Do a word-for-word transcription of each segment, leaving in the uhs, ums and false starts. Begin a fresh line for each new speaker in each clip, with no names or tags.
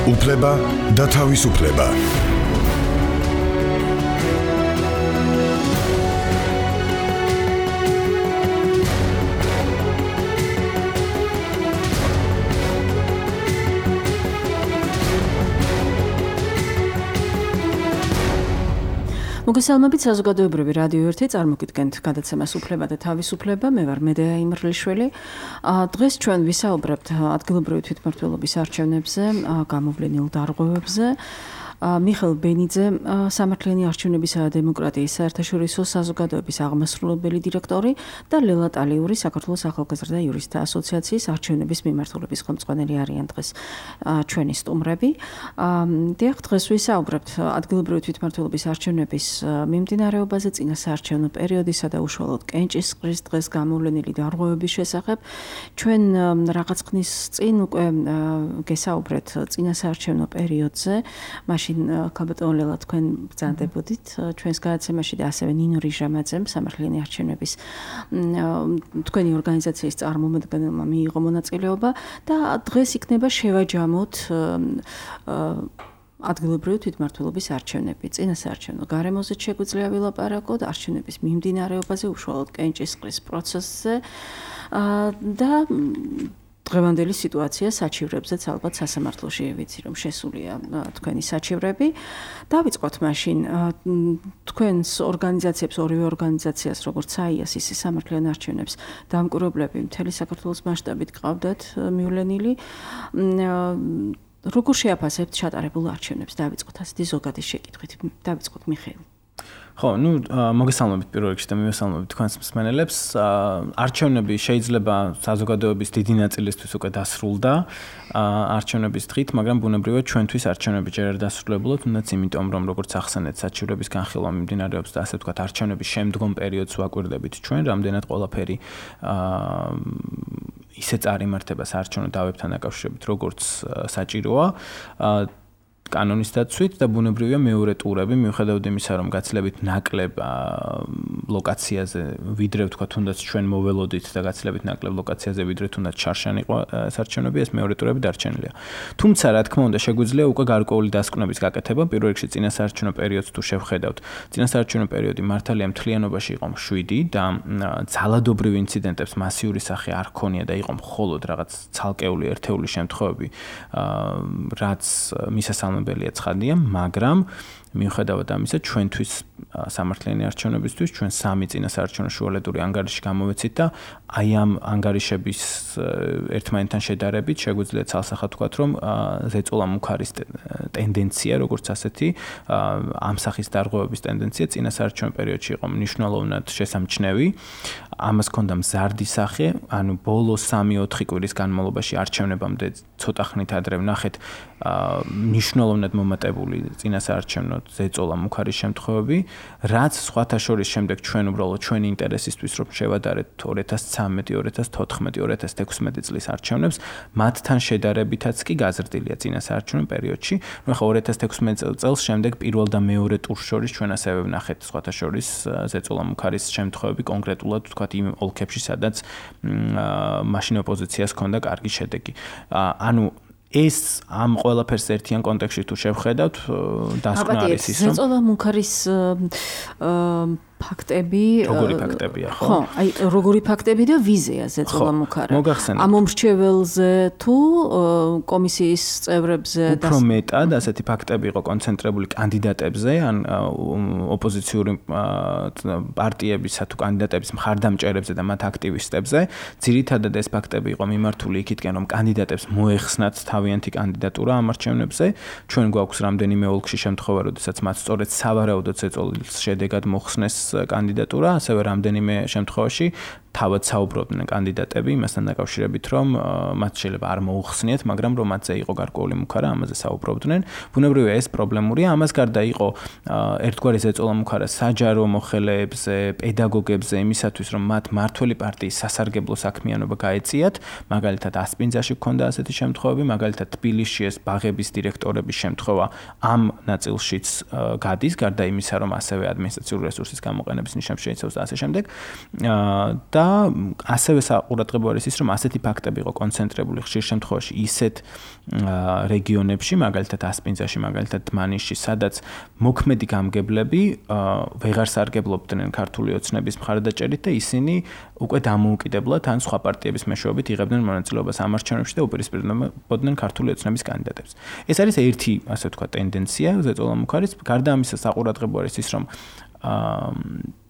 უფლება და თავისუფლება.
მოგესალმებით საზოგადოებრივი რადიო ერთი წარმოგიდგენთ გადაცემას უფლება და თავისუფლება. მე ვარ მედეა იმრლიშვილი. დღეს ჩვენ ვისაუბრებთ ადგილობრივი თვითმმართველობის არჩევნებზე, გამოვლენილ დარღვევებზე. მიხეილ ბენიძე, სამართლიანი არჩევნებისა და დემოკრატიის საერთაშორისო საზოგადოების აღმასრულებელი დირექტორი და ლელა ტალიური, საქართველოს ახალგაზრდა იურისტთა ასოციაციის არჩევნების მიმართულების ხელმძღვანელი არიან დღეს ჩვენი სტუმრები. დიახ, დღეს ვისაუბრებთ ადგილობრივი თვითმმართველობის არჩევნების მიმდინარეობაზე, წინა საარჩევნო პერიოდისა და უშუალოდ კენჭისყრის დღეს გამოვლენილი დარღვევების შესახებ. ჩვენ რაღაც ხნის წინ უკვე გესაუბრეთ წინა საარჩევნო პერიოდზე. ქალბატონო ლელა, თქვენ ბრძანდებოდით ჩვენს გადაცემაში და ასევე ნინო რიჟამაძემ სამართლიანი არჩევნების თქვენი ორგანიზაციის წარმომადგენელმა მიიღო მონაწილეობა და დღეს იქნება შევაჯამოთ ადგილობრივი თვითმმართველობის არჩევნები. წინა საარჩევნო გარემოზე შეგვიძლია ვილაპარაკოთ, არჩევნების მიმდინარეობაზე, უშუალოდ კენჭისყრის პროცესზე და დღევანდელი სიტუაცია საჩივრებზეც ალბათ სასამართლოში ვიცი რომ შესულია თქვენი საჩივრები. დავიწყოთ მაშინ თქვენს ორგანიზაციებს, ორივე ორგანიზაციას, როგორც საიას, ისე სამართლიან არჩევნებს დამკვირვებლები მთელი საქართველოს მასშტაბით ყავდათ მივლენილი. როგორ შეაფასებთ ჩატარებულ არჩევნებს? დავიწყოთ ასეთი ზოგადი შეკითხვით. დავიწყოთ მიხეილ.
ხო, ну, მოგესალმებით პირველ რიგში და მივესალმებით თქვენს მსმენელებს. არჩევნები შეიძლება საზოგადოების დიდი ნაწილისთვის უკვე დასრულდა არჩევნების დღით, მაგრამ ბუნებრივად ჩვენთვის არჩევნები ჯერ არ დასრულებულა, თუნდაც იმიტომ, რომ როგორც ახსენეთ, საჩივრების განხილვა მიმდინარეობს და ასე ვთქვათ, არჩევნების შემდგომ პერიოდს ვაკვირდებით ჩვენ, რამდენად ყველაფერი ისე წარიმართება საარჩევნო დავებთან დაკავშირებით, როგორც საჭიროა. კანონის დაცვით და ბუნებრივია მეორე ტურები, მიუხედავად იმისა, რომ გაცილებით ნაკლებ ლოკაციაზე ვიდრე ვთქვა, თუნდაც ჩვენ მოველოდით და გაცილებით ნაკლებ ლოკაციაზე ვიდრე თუნდაც ჩარშანი იყო საარჩევნები, ეს მეორე ტურები დარჩენილია. თუმცა, რა თქმა უნდა, შეგვიძლია უკვე გარკვეული დასკვნების გაკეთება, პირველ რიგში წინა საარჩევნო პერიოდს თუ შევხედავთ. წინა საარჩევნო პერიოდი მართალია მთლიანობაში იყო მშვიდი და ძალადობრივ ინციდენტებს მასიური სახე არ ჰქონია და იყო მხოლოდ რაღაც ცალკეული ერთეული შემთხვევები, რაც მისასალმებელი ბელია ცხადია, მაგრამ მიუხედავად ამისა, ჩვენთვის სამართლიანი არჩევნებისთვის ჩვენ სამი წინა საარჩევნო შუალედური ანგარიში გამოვეცით და აი ამ ანგარიშების ერთმანეთთან შედარებით შეგვიძლია ცალსახად ვთქვათ, რომ ზეწოლა მუქარის ტენდენცია, როგორც ასეთი, ამ სახის დარღვევების ტენდენცია წინა საარჩევნო პერიოდში იყო მნიშვნელოვნად შესამჩნევი. ამას ჰქონდა მზარდი სახე, ანუ ბოლო სამი ოთხი კვირის განმავლობაში არჩევნებამდე ცოტა ხნით ადრე ვნახეთ მნიშვნელოვნად მომატებული წინა საარჩევნო ზეწოლა მუქარის შემთხვევები, რაც სხვათა შორის შემდეგ ჩვენ უბრალოდ ჩვენი ინტერესისთვის რომ შევადარეთ ორი ათას ცხრამეტი, ორი ათას თოთხმეტი, ორი ათას ექვსმეტი წლის არჩევნებს, მათთან შედარებითაც კი გაზრდილია წინა საარჩევნო პერიოდში. ნუ ახლა ორი ათას ექვსმეტი წელს შემდეგ პირველ და მეორე ტურს შორის ჩვენ ასევე ვნახეთ სხვათა შორის ზეწოლა მუქარის შემთხვევები, კონკრეტულად ვთქვათ იმ ოლქებში, სადაც მაშინ ოპოზიციას ჰქონდა კარგი შედეგი. ანუ ეს ამ ყველაფერს ერთიან კონტექსტში თუ შევხედავთ, დასკვნა არის ის, რომ
ზეწოლა მუქარის ფაქტები,
როგორი ფაქტებია, ხო?
ხო, აი როგორი ფაქტები და ვიზია ზეწოლა მუქარა.
მოგახსენეთ.
ამ მომრჩეველზე თუ კომისიის წევრებზე
და უფრო მეტად ასეთი ფაქტები იყო კონცენტრირებული კანდიდატებზე, ან ოპოზიციური პარტიებისა თუ კანდიდატების მხარდამჭერებზე და მათ აქტივისტებზე. ძირითადად ეს ფაქტები იყო მიმართული იქითკენ, რომ კანდიდატებს მოეხსნათ თავიანთი კანდიდატურა ამ არჩევნებზე. ჩვენ გვაქვს რამდენიმე ოლქში შემთხვევა, როდესაც მათ სწორედ სავარაუდოდ ზეწოლის შედეგად მოხსნეს კანდიდატურა, ასევე რამდენიმე შემთხვევაში თავად საუბრობდნენ კანდიდატები იმასთან დაკავშირებით, რომ მათ შეიძლება არ მოუხსნიათ, მაგრამ რომ მათზე იყო გარკვეული მუქარა, ამაზე საუბრობდნენ. ბუნებრივია ეს პრობლემურია, ამას გარდა იყო ერთგვარი ზეწოლა მუქარა საჯარო მოხელეებზე, პედაგოგებზე, იმისათვის, რომ მათ მართველი პარტიის სასარგებლო საქმიანობა გაეწიათ, მაგალითად ასპინძაში ჰქონდა ასეთი შემთხვევები, მაგალითად თბილისში ეს ბაღების დირექტორების შემთხვევა ამ ნაწილშიც გადის, გარდა იმისა, რომ ასევე ადმინისტრაციული რესურსის გამოყენების ნიშნებს შეიცავს და ასე შემდეგ. და და ასევე საყურადღებო არის ის, რომ ასეთი ფაქტები იყო კონცენტრირებული ხშირ შემთხვევაში ისეთ რეგიონებში, მაგალითად ასპინძაში, მაგალითად დმანისში, სადაც მოქმედი გამგებლები ვეღარ სარგებლობდნენ ქართული ოცნების მხარდაჭერით და ისინი უკვე დამოუკიდებლად ან სხვა პარტიების მეშვეობით იღებდნენ მონაწილეობას ამ არჩევნებში და უპირისპირდებოდნენ ქართული ოცნების კანდიდატებს. ეს არის ერთი, ასე ვთქვათ, ტენდენცია, ზეწოლამუქ არის. გარდა ამისა, საყურადღებო არის ის, რომ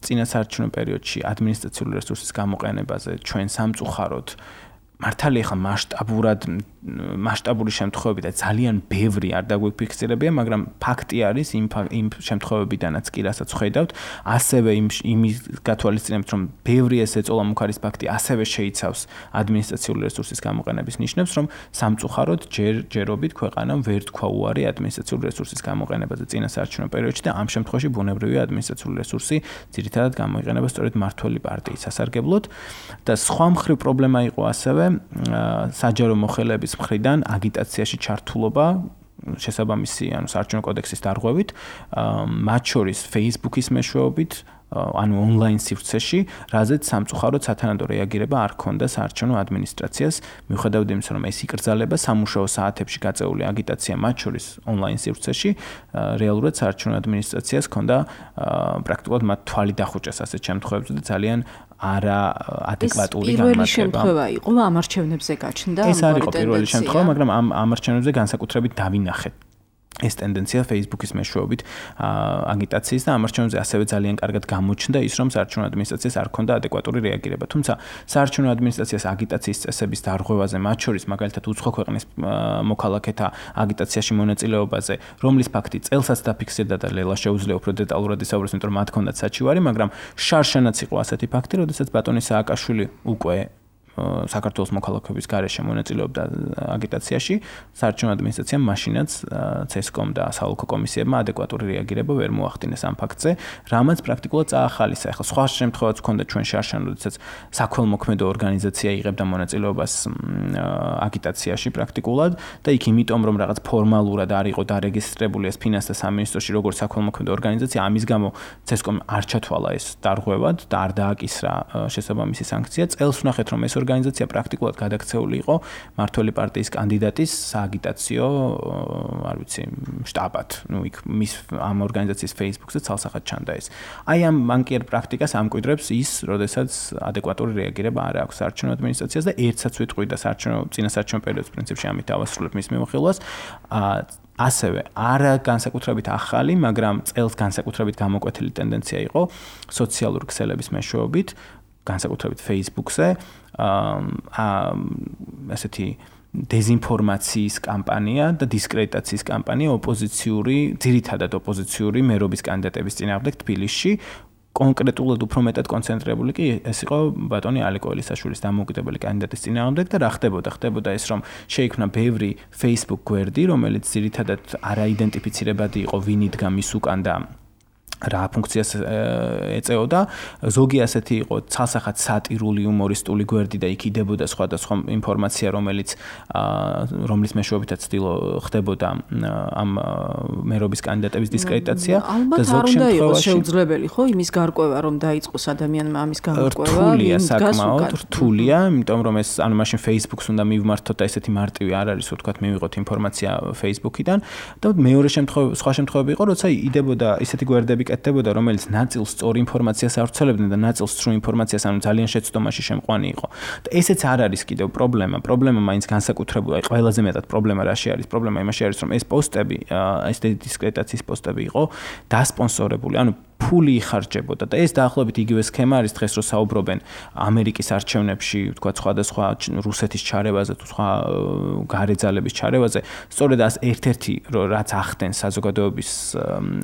წინასაარჩევნო პერიოდში ადმინისტრაციული რესურსის გამოყენებაზე ჩვენ სამწუხაროდ მართალია ხა მასშტაბურად მასშტაბური შემთხვევები და ძალიან ბევრი არ დაგვიფიქსირებია, მაგრამ ფაქტი არის იმ იმ შემთხვევებიდანაც კი რასაც ხედავთ, ასევე იმ იმის გათვალისწინებით, რომ ბევრი ეს ეწოლამუქ არის ფაქტი, ასევე შეიცავს ადმინისტრაციული რესურსის გამოყენების ნიშნებს, რომ სამწუხაროდ ჯერ ჯერობით ქვეყანამ ვერ თქვა უარი ადმინისტრაციული რესურსის გამოყენებაზე წინასაარჩევნო პერიოდში და ამ შემთხვევაში ბუნებრივია ადმინისტრაციული რესურსი ძირითადად გამოიყენება სწორედ მმართველი პარტიის სასარგებლოდ და სხვა მხრივ პრობლემა იყო ასევე საჯარო მოხელეების მხრიდან აგიტაციაში ჩართულობა შესაბამისი ანუ საარჩევნო კოდექსის დარღვევით, მათ შორის Facebook-ის მეშვეობით, ანუ ონლაინ სივრცეში, რაზეც სამწუხაროდ სათანადო რეაგირება არ ჰქონდა საარჩევნო ადმინისტრაციას, მიუხედავად იმისა, რომ ეს იკრძალება სამუშაო საათებში გაწეული აგიტაცია მათ შორის ონლაინ სივრცეში, რეალურად საარჩევნო ადმინისტრაციას ჰქონდა პრაქტიკულად მათ თვალი დახუჭეს ასეთ შემთხვევებში და ძალიან არა ადეკვატური
გამართება. პირველი შემთხვევა იყო ამ არჩევნებზე გაჩნდა.
ეს არ იყო პირველი შემთხვევა, მაგრამ ამ ამ არჩევნებზე განსაკუთრებით დავინახეთ ეს ტენდენცია Facebook-ის მეშვეობით აგიტაციის და ამ არჩევნებზე ასევე ძალიან კარგად გამოჩნდა ის, რომ საარჩევნო ადმინისტრაციას არ ჰქონდა ადეკვატური რეაგირება. თუმცა საარჩევნო ადმინისტრაციას აგიტაციის წესების დარღვევაზე, მათ შორის მაგალითად უცხო ქვეყნის მოქალაქეთა აგიტაციაში მონაწილეობაზე, რომლის ფაქტი წელსაც დაფიქსირდა და ლელა შეუძლია უფრო დეტალურად ისაუბროს, იმიტომ რომ მათ ჰქონდათ საჩივარი, მაგრამ შარშანაც იყო ასეთი ფაქტი, როდესაც ბატონი სააკაშვილი უკვე საქართველოს მოქალაქეობის გარეშე მონაწილეობდა აგიტაციაში, საარჩევნო ადმინისტრაციამ მაშინაც ცესკომ და საოლქო კომისიებმა ადეკვატური რეაგირება ვერ მოახდინეს ამ ფაქტზე, რამაც პრაქტიკულად წაახალისა. ახლა სხვა შემთხვევაც ჰქონდა ჩვენ შარშან, როდესაც საქველმოქმედო ორგანიზაცია იღებდა მონაწილეობას აგიტაციაში პრაქტიკულად და იქ იმიტომ რომ რაღაც ფორმალურად არ იყო დარეგისტრირებული ეს ფინანსთა სამინისტროში როგორც საქველმოქმედო ორგანიზაცია, ამის გამო ცესკომ არ ჩათვალა ეს დარღვევად და არ დააკისრა შესაბამისი სანქცია. წელს ვნახეთ რომ ეს ორგანიზაცია პრაქტიკულად გადაქცეული იყო მმართველი პარტიის კანდიდატის სააგიტაციო, არ ვიცი, შტაბად. ნუ იქ მის ამ ორგანიზაციის Facebook-ზე ცალსახად ჩანდა ეს. აი ამ მანკიერ პრაქტიკას ამკვიდრებს ის, როდესაც ადეკვატური რეაგირება არ აქვს საარჩევნო ადმინისტრაციას და ერთსაც ვიტყვი და საარჩევნო წინასაარჩევნო პერიოდის პრინციპში ამით დავასრულებ მის მიმოხილვას. ასევე არა განსაკუთრებით ახალი, მაგრამ წელს განსაკუთრებით გამოკვეთილი ტენდენცია იყო სოციალური ქსელების მეშვეობით, განსაკუთრებით Facebook-ზე, აა ასეთი დეზინფორმაციის კამპანია და დისკრედიტაციის კამპანია ოპოზიციური, ძირითადად ოპოზიციური მერობის კანდიდატების წინააღმდეგ თბილისში. კონკრეტულად უფრო მეტად კონცენტრირებული კი ეს იყო ბატონი ალეკო ელისაშვილის დამოუკიდებელი კანდიდატის წინააღმდეგ და რა ხდებოდა? ხდებოდა ეს, რომ შეიქმნა ბევრი Facebook გვერდი, რომელიც ძირითადად არაიდენტიფიცირებადი იყო ვინ იდგა მის უკან და რა ფუნქციას ეწეოდა. ზოგი ასეთი იყო ცალსახად სატირული იუმორისტული გვერდი და იქ იდებოდა სხვადასხვა ინფორმაცია, რომელიც რომლის მეშვეობითაც ხდებოდა ამ მერობის კანდიდატების დისკრედიტაცია
და ზოგ შემთხვევაში შეუძლებელი ხო იმის გარკვევა, რომ დაიწყოს ადამიანმა ამის გარკვევა.
რთულია საკმაოდ, რთულია, იმიტომ რომ ეს ანუ მაშინ Facebook-ს უნდა მივმართოთ და ესეთი მარტივი არ არის, ვთქვათ, მივიღოთ ინფორმაცია Facebook-იდან და მეორე შემთხვევა, სხვა შემთხვევები იყო, როცა იდებოდა ისეთი გვერდები კეთდებოდა, რომელიც ნაწილს სწორ ინფორმაციას ავრცელებდნენ და ნაწილს სრულ ინფორმაციას, ანუ ძალიან შეცდომაში შემყვანი იყო. და ესეც არ არის კიდევ პრობლემა. პრობლემა მაინც განსაკუთრებული, აი ყველაზე მეტად პრობლემა რაში არის? პრობლემა იმაში არის, რომ ეს პოსტები, ეს დისკრედიტაციის პოსტები იყო დასპონსორებული, ანუ ფული იხარჯებოდა და ეს დაახლოებით იგივე სქემა არის დღეს რო საუბრობენ ამერიკის არჩევნებში, თქვა სხვადასხვა რუსეთის ჩარევაზე თუ სხვა გარეძალების ჩარევაზე, სწორედ ეს ერთ-ერთი რაც ახდენს საზოგადოების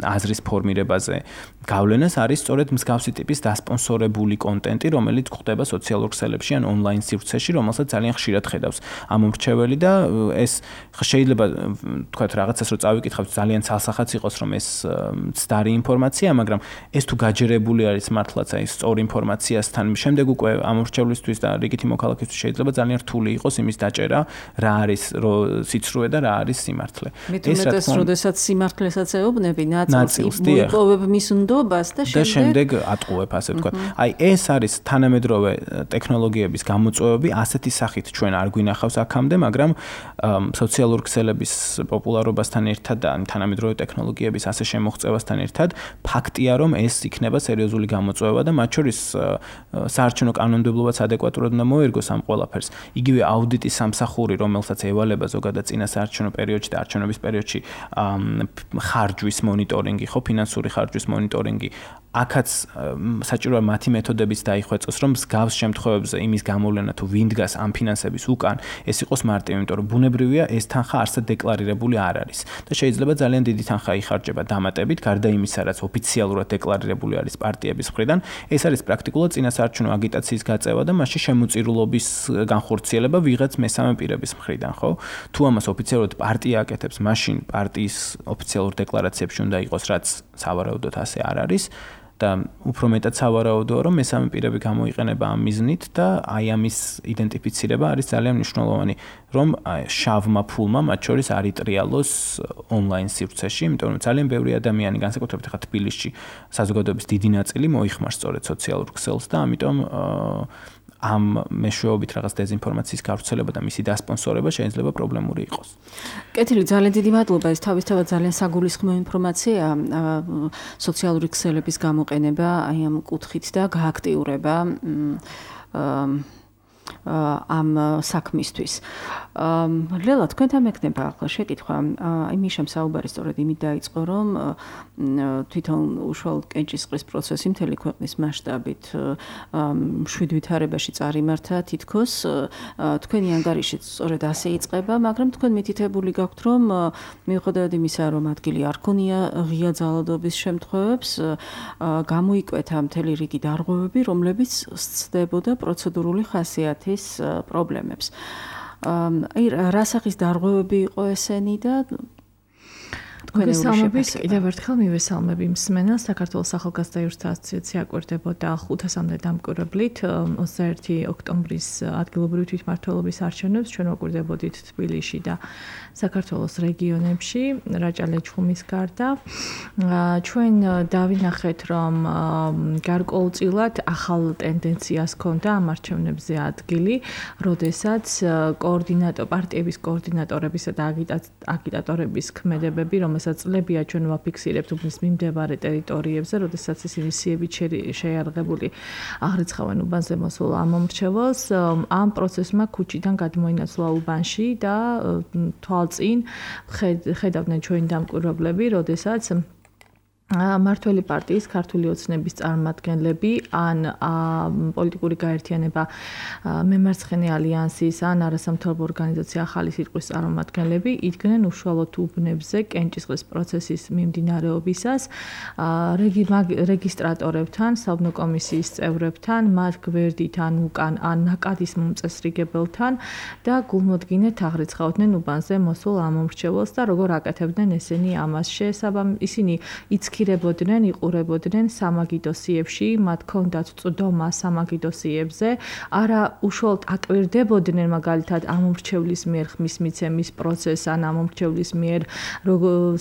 აზრის ფორმირებაზე გავლენას არის სწორედ მსგავსი ტიპის დასპონსორებული კონტენტი, რომელიც გვხდება სოციალურ ქსელებში ან ონლაინ სივრცეში, რომელსაც ძალიან ხშირად ხედავს ამ მომრჩეველი და ეს შეიძლება თქვა რაღაცას რო წავიკითხავთ ძალიან ცალსახაც იყოს რომ ეს ცდარი ინფორმაცია, მაგრამ ეს თუ გაჯერებული არის მართლაც აი სწორ ინფორმაციასთან, შემდეგ უკვე ამორჩევლისთვის და რიგითი მოქალაქისთვის შეიძლება ძალიან რთული იყოს იმის დაჭერა, რა არის სიცრუე და რა არის სიმართლე.
ეს რაც როდესაც სიმართლესაც ეუბნები, ნაწილს იპოვებ იღებ მის ნდობას და შემდეგ
და შემდეგ ატყუებ, ასე ვთქვათ. აი ეს არის თანამედროვე ტექნოლოგიების გამოწვევები, ასეთი სახით ჩვენ არ გვინახავს აქამდე, მაგრამ სოციალურ ქსელების პოპულარობასთან ერთად და თანამედროვე ტექნოლოგიების ასე შემოღწევასთან ერთად ფაქტია, რომ ეს იქნება სერიოზული გამოწვევა და მათ შორის საარჩევნო კანონმდებლობაც ადეკვატურად უნდა მოერგოს ამ ყველაფერს. იგივე აუდიტის სამსახური, რომელსაც ევალება ზოგადად წინა საარჩევნო პერიოდში და არჩევნების პერიოდში ხარჯვის მონიტორინგი, ხო, ფინანსური ხარჯვის მონიტორინგი, აქაც საჭიროა მათი მეთოდებიც დაიხვეწოს, რომ მსგავს შემთხვევებზე იმის გამოვლენა თუ ვინ დგას ამ ფინანსების უკან, ეს იყოს მარტივი, იმიტომ რომ ბუნებრივია ეს თანხა არსად დეკლარირებული არ არის და შეიძლება ძალიან დიდი თანხა იხარჯება დამატებით, გარდა იმისა, რაც ოფიციალურად დეკლარირებული არის პარტიების მხრიდან, ეს არის პრაქტიკულად წინასაარჩევნო აგიტაციის გაწევა და მასში შემოწირულობის განხორციელება ვიღაც მესამე პირების მხრიდან, ხო? თუ ამას ოფიციალურად პარტია აკეთებს, მაშინ პარტიის ოფიციალურ დეკლარაციებში უნდა იყოს, რაც სავარაუდოდ ასე არ არის. და უფრო მეტად სავარაუდოა, რომ მესამე პირები გამოიყენება ამ მიზნით და აი ამის იდენტიფიცირება არის ძალიან მნიშვნელოვანი, რომ შავმა ფულმა მათ შორის არ იტრიალოს ონლაინ სივრცეში, იმიტომ რომ ძალიან ბევრი ადამიანი, განსაკუთრებით ხა თბილისში, საზოგადოების დიდი ნაწილი მოიხმარს სწორედ სოციალურ ქსელს და ამიტომ ამ მეშვეობით რაღაც დეზინფორმაციის გავრცელება და მისი დასპონსორება შეიძლება პრობლემური იყოს.
კეთილი, ძალიან დიდი მადლობა. ეს თავისთავად ძალიან საგულისხმო ინფორმაცია, სოციალური ქსელების გამოყენება აი ამ კუთხით და გააქტიურება ამ საქმისთვის. ლელა, თქვენთან მექნება ახლა შეკითხვა. აი მიშამ საუბარი სწორედ იმით დაიწყო, რომ თვითონ უშუალოდ კენჭისყრის პროცესი მთელი ქვეყნის მასშტაბით შვიდ ვითარებაში წარიმართა თითქოს. თქვენი ანგარიშიც სწორედ ასე იწყება, მაგრამ თქვენ მითითებული გაქვთ, რომ მიუხედავად იმისა, რომ ადგილი არ ქონია ღია ძალადობის შემთხვევებს, გამოიკვეთა მთელი რიგი დარღვევები, რომლებიც სცდებოდა პროცედურული ხასიათის პრობლემებს. აი რა სახის დარღვევები იყო ესენი და
მოგესალმებით, კიდევ ერთხელ მივესალმები მსმენელს. საქართველოს ახალგაზრდა იურთა ასოციაცია აკვირდებოდა ხუთასამდე დამკვირვებლით ოცდაერთი ოქტომბრის ადგილობრივი თვითმმართველობის არჩევნებს ჩვენ ვაკვირდებოდით თბილისში და საქართველოს რეგიონებში, რაჭა-ლეჩხუმის გარდა. ჩვენ დავინახეთ, რომ გარკვეულწილად ახალ ტენდენციას ჰქონდა ამ არჩევნებზე ადგილი, როდესაც კოორდინატორ პარტიების კოორდინატორებისა და აგიტატორების ქმედებები, რომელსაც წლებია ჩვენ ვაფიქსირებთ უბნის მიმდებარე ტერიტორიებზე, როდესაც ისინი სიებით შეიარაღებული აღრიცხავენ უბანზე მოსულ ამ მომრჩეველს, ამ პროცესმა ქუჩიდან გადმოინაცვლა უბანში და თვალწინ ხედავდნენ ჩვენი დამკვირვებლები, როდესაც მართველი პარტიის ქართული ოცნების წარმომადგენლები ან პოლიტიკური გაერთიანება მემარცხენე ალიანსის ან არასამთავრობო ორგანიზაცია ახალი სიტყვის წარმომადგენლები იდგნენ უშუალოდ უბნებზე კენჭისყრის პროცესის მიმდინარეობისას რეგისტრატორებთან, საბნო კომისიის წევრებთან, მათ გვერდით ან უკან ან ნაკადის მომწესრიგებელთან და გულმოდგინედ აღრიცხავდნენ უბანზე მოსულ ამ მომრჩეველს და როგორ აკეთებდნენ ესენი ამას შესაბამისად ისინი იცქი ირებოდნენ, იყურებოდნენ სამაგიდოსიებში, მათ ჰქონდათ წვდომა სამაგიდოსიებზე, არა უშუალოდ აკვირდებოდნენ მაგალითად ამ მომრჩევლის მიერ ხმის მიცემის პროცესს ან ამ მომრჩევლის მიერ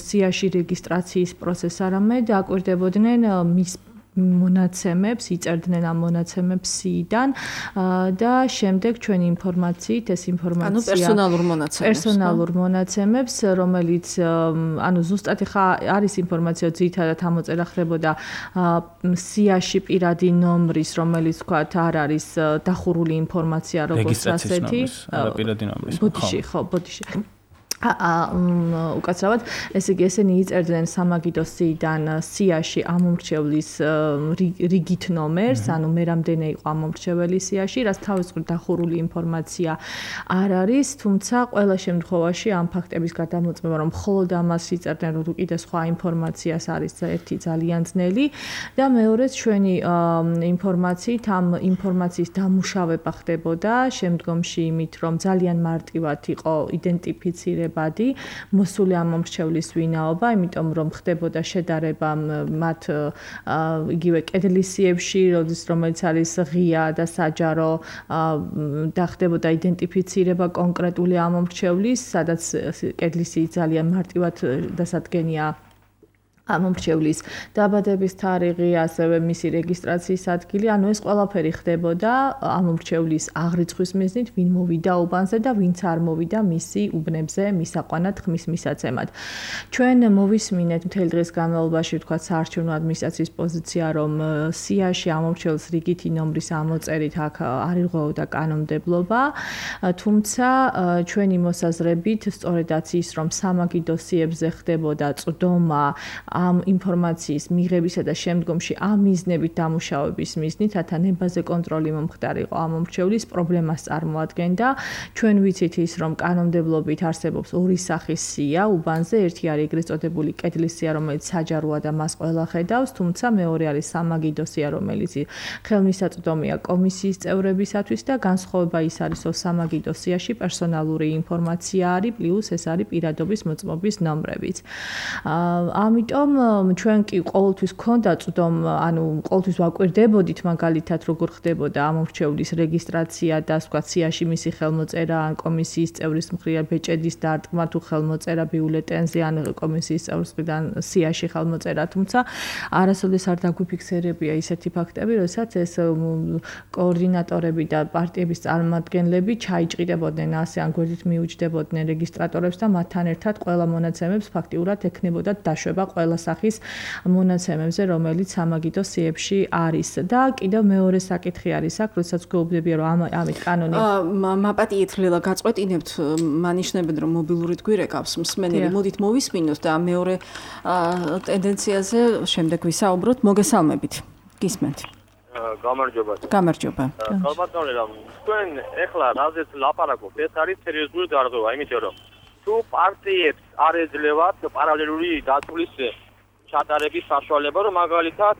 სიაში რეგისტრაციის პროცესს, არამედ აკვირდებოდნენ მის მონაცემებს, იწერდნენ ამ მონაცემებს სიიდან და შემდეგ ჩვენი ინფორმაციით ეს ინფორმაცია
ანუ პერსონალურ მონაცემებს
პერსონალურ მონაცემებს, რომელიც ანუ ზუსტად ხა არის ინფორმაცია ძირითადად ამოწერა ხდებოდა სიაში პირადი ნომრის, რომელიც თქვათ არ არის დახურული ინფორმაცია როგორც ასეთი
პირადი ნომრის
ბოდიში ხო ბოდიში უკაცრავად ესე იგი ესენი იწერდნენ სამაგიდოსიდან სიაში ამ მომრჩევლის რიგით ნომერს, ანუ მე რამდენი იყო ამ მომრჩეველი სიაში, რაც თავისუფლად დახურული ინფორმაცია არ არის, თუმცა ყველა შემთხვევაში ამ ფაქტების გადამოწმება, რომ მხოლოდ ამას იწერდნენ, რომ კიდე სხვა ინფორმაციას არის ერთი ძალიან ძნელი და მეორეც ჩვენი ინფორმაციით ამ ინფორმაციის დამუშავება ხდებოდა შემდგომში იმით, რომ ძალიან მარტივად იყო იდენტიფიცირება ბადი მოსული ამ მომრჩევლის ვინაობა, იმიტომ რომ ხდებოდა შედარება მათ იგივე კედლისიებში, რომელიც არის ღია და საჯარო და ხდებოდა იდენტიფიცირება კონკრეტული ამ მომრჩევლის, სადაც კედლისი ძალიან მარტივად დასადგენია ამომრჩევლის დაბადების თარიღი, ასევე მისი რეგისტრაციის ადგილი, ანუ ეს ყველაფერი ხდებოდა ამომრჩევლის აღრიცხვის მიზნით, ვინ მოვიდა უბანზე და ვინც არ მოვიდა მისი უბნებზე მისაყვანად ხმის მისაცემად. ჩვენ მოვისმინეთ მთელი დღის განმავლობაში, ვთქვათ, საარჩევნო ადმინისტრაციის პოზიცია, რომ სიაში ამომრჩეველს რიგითი ნომრის ამოწერით აქ არ ირღვეოდა კანონმდებლობა, თუმცა ჩვენი მოსაზრებით, სწორედაც ის, რომ სამაგიდო სიებზე ხდებოდა წვდომა ამ ინფორმაციის მიღებისა და შემდგომში ამ მიზნებით დამუშავების მიზნით, რათა ნებაზე კონტროლი მომხდარიყო ამომრჩევლის პრობლემას წარმოადგენდა. ჩვენ ვიცით ის, რომ კანონმდებლობით არსებობს ორი სახის სია უბანზე, ერთი არის ეგრეთ წოდებული კედლის სია, რომელიც საჯაროა და მას ყველა ხედავს, თუმცა მეორე არის სამაგიდო სია, რომელიც ხელმისაწვდომია კომისიის წევრებისათვის და განსხვავება ის არის, რომ სამაგიდო სიაში პერსონალური ინფორმაცია არის, პლუს ეს არის პირადობის მოწმობის ნომრებიც. ამიტომ ჩვენ კი ყოველთვის გქონდა წვდომ, ანუ ყოველთვის ვაკვირდებოდით მაგალითად როგორ ხდებოდა ამომრჩევლის რეგისტრაცია და სხვა სიაში მისი ხელმოწერა ან კომისიის წევრის მხრიდან ბეჭედის დარტყმა თუ ხელმოწერა ბიულეტენზე ან კომისიის წევრის მხრიდან სიაში ხელმოწერა, თუმცა არასოდეს არ დაგვიფიქსირებია ისეთი ფაქტები, როდესაც ეს კოორდინატორები და პარტიების წარმომადგენლები ჩაიჭრიდებოდნენ ასე ან გვერდით მიუჯდებოდნენ რეგისტრატორებს და მათთან ერთად ყველა მონაცემებს ფაქტიურად ექნებოდა დაშვება ყველა სახის მონაცემებზე, რომელიც სამაგიდო სიებში არის. და კიდევ მეორე საკითხი არის აქ, როდესაც გვეუბნებია, რომ ამით კანონი
მაპატიეთ ლელა გაწყვეტინებთ, მანიშნებენ, რომ მობილური გვირე გავს მსმენელი. მოდით მოვისმინოთ და მეორე ტენდენციაზე შემდეგ ვისაუბროთ. მოგესალმებით. გისმენთ.
გამარჯობა.
გამარჯობა.
ხალბატონი, რომ თქვენ ეხლა რაზეც ლაპარაკობთ, ეს არის სერიოზული დარღვევა, იმიტომ რომ თუ პარტიებს არ ეძლევათ პარალელური დაცვის ჩატარების საშუალება, რომ მაგალითად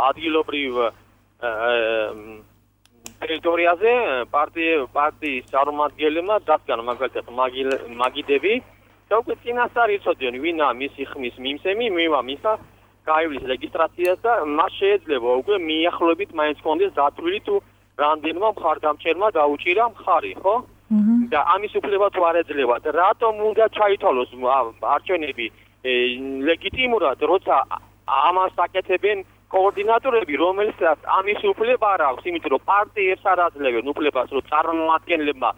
ადგილობრივ ტერიტორიაზე პარტიის წარმომადგენლებმა დასგან მაგალითად მაგიდები და უკვე წინასწარ იცოდნენ, ვინა მისი ხმის მიმსემი, მივა მისა გაივლის რეგისტრაციას და მას შეიძლება უკვე მიახლოებით მაინც კონდეს დათვლილი თუ რამდენმა მხარდამჭერმა დაუჭირა მხარი, ხო? და ამის უფლება თუ არ ეძლევათ, რატომ უნდა ჩაითვალოს არჩევნები ლეგიტიმურად, როცა ამას აკეთებენ კოორდინატორები, რომელსაც ამის უფლება არ აქვს, იმიტომ რომ პარტიებს არ აძლევენ უფლებას, რომ წარმომადგენლებმა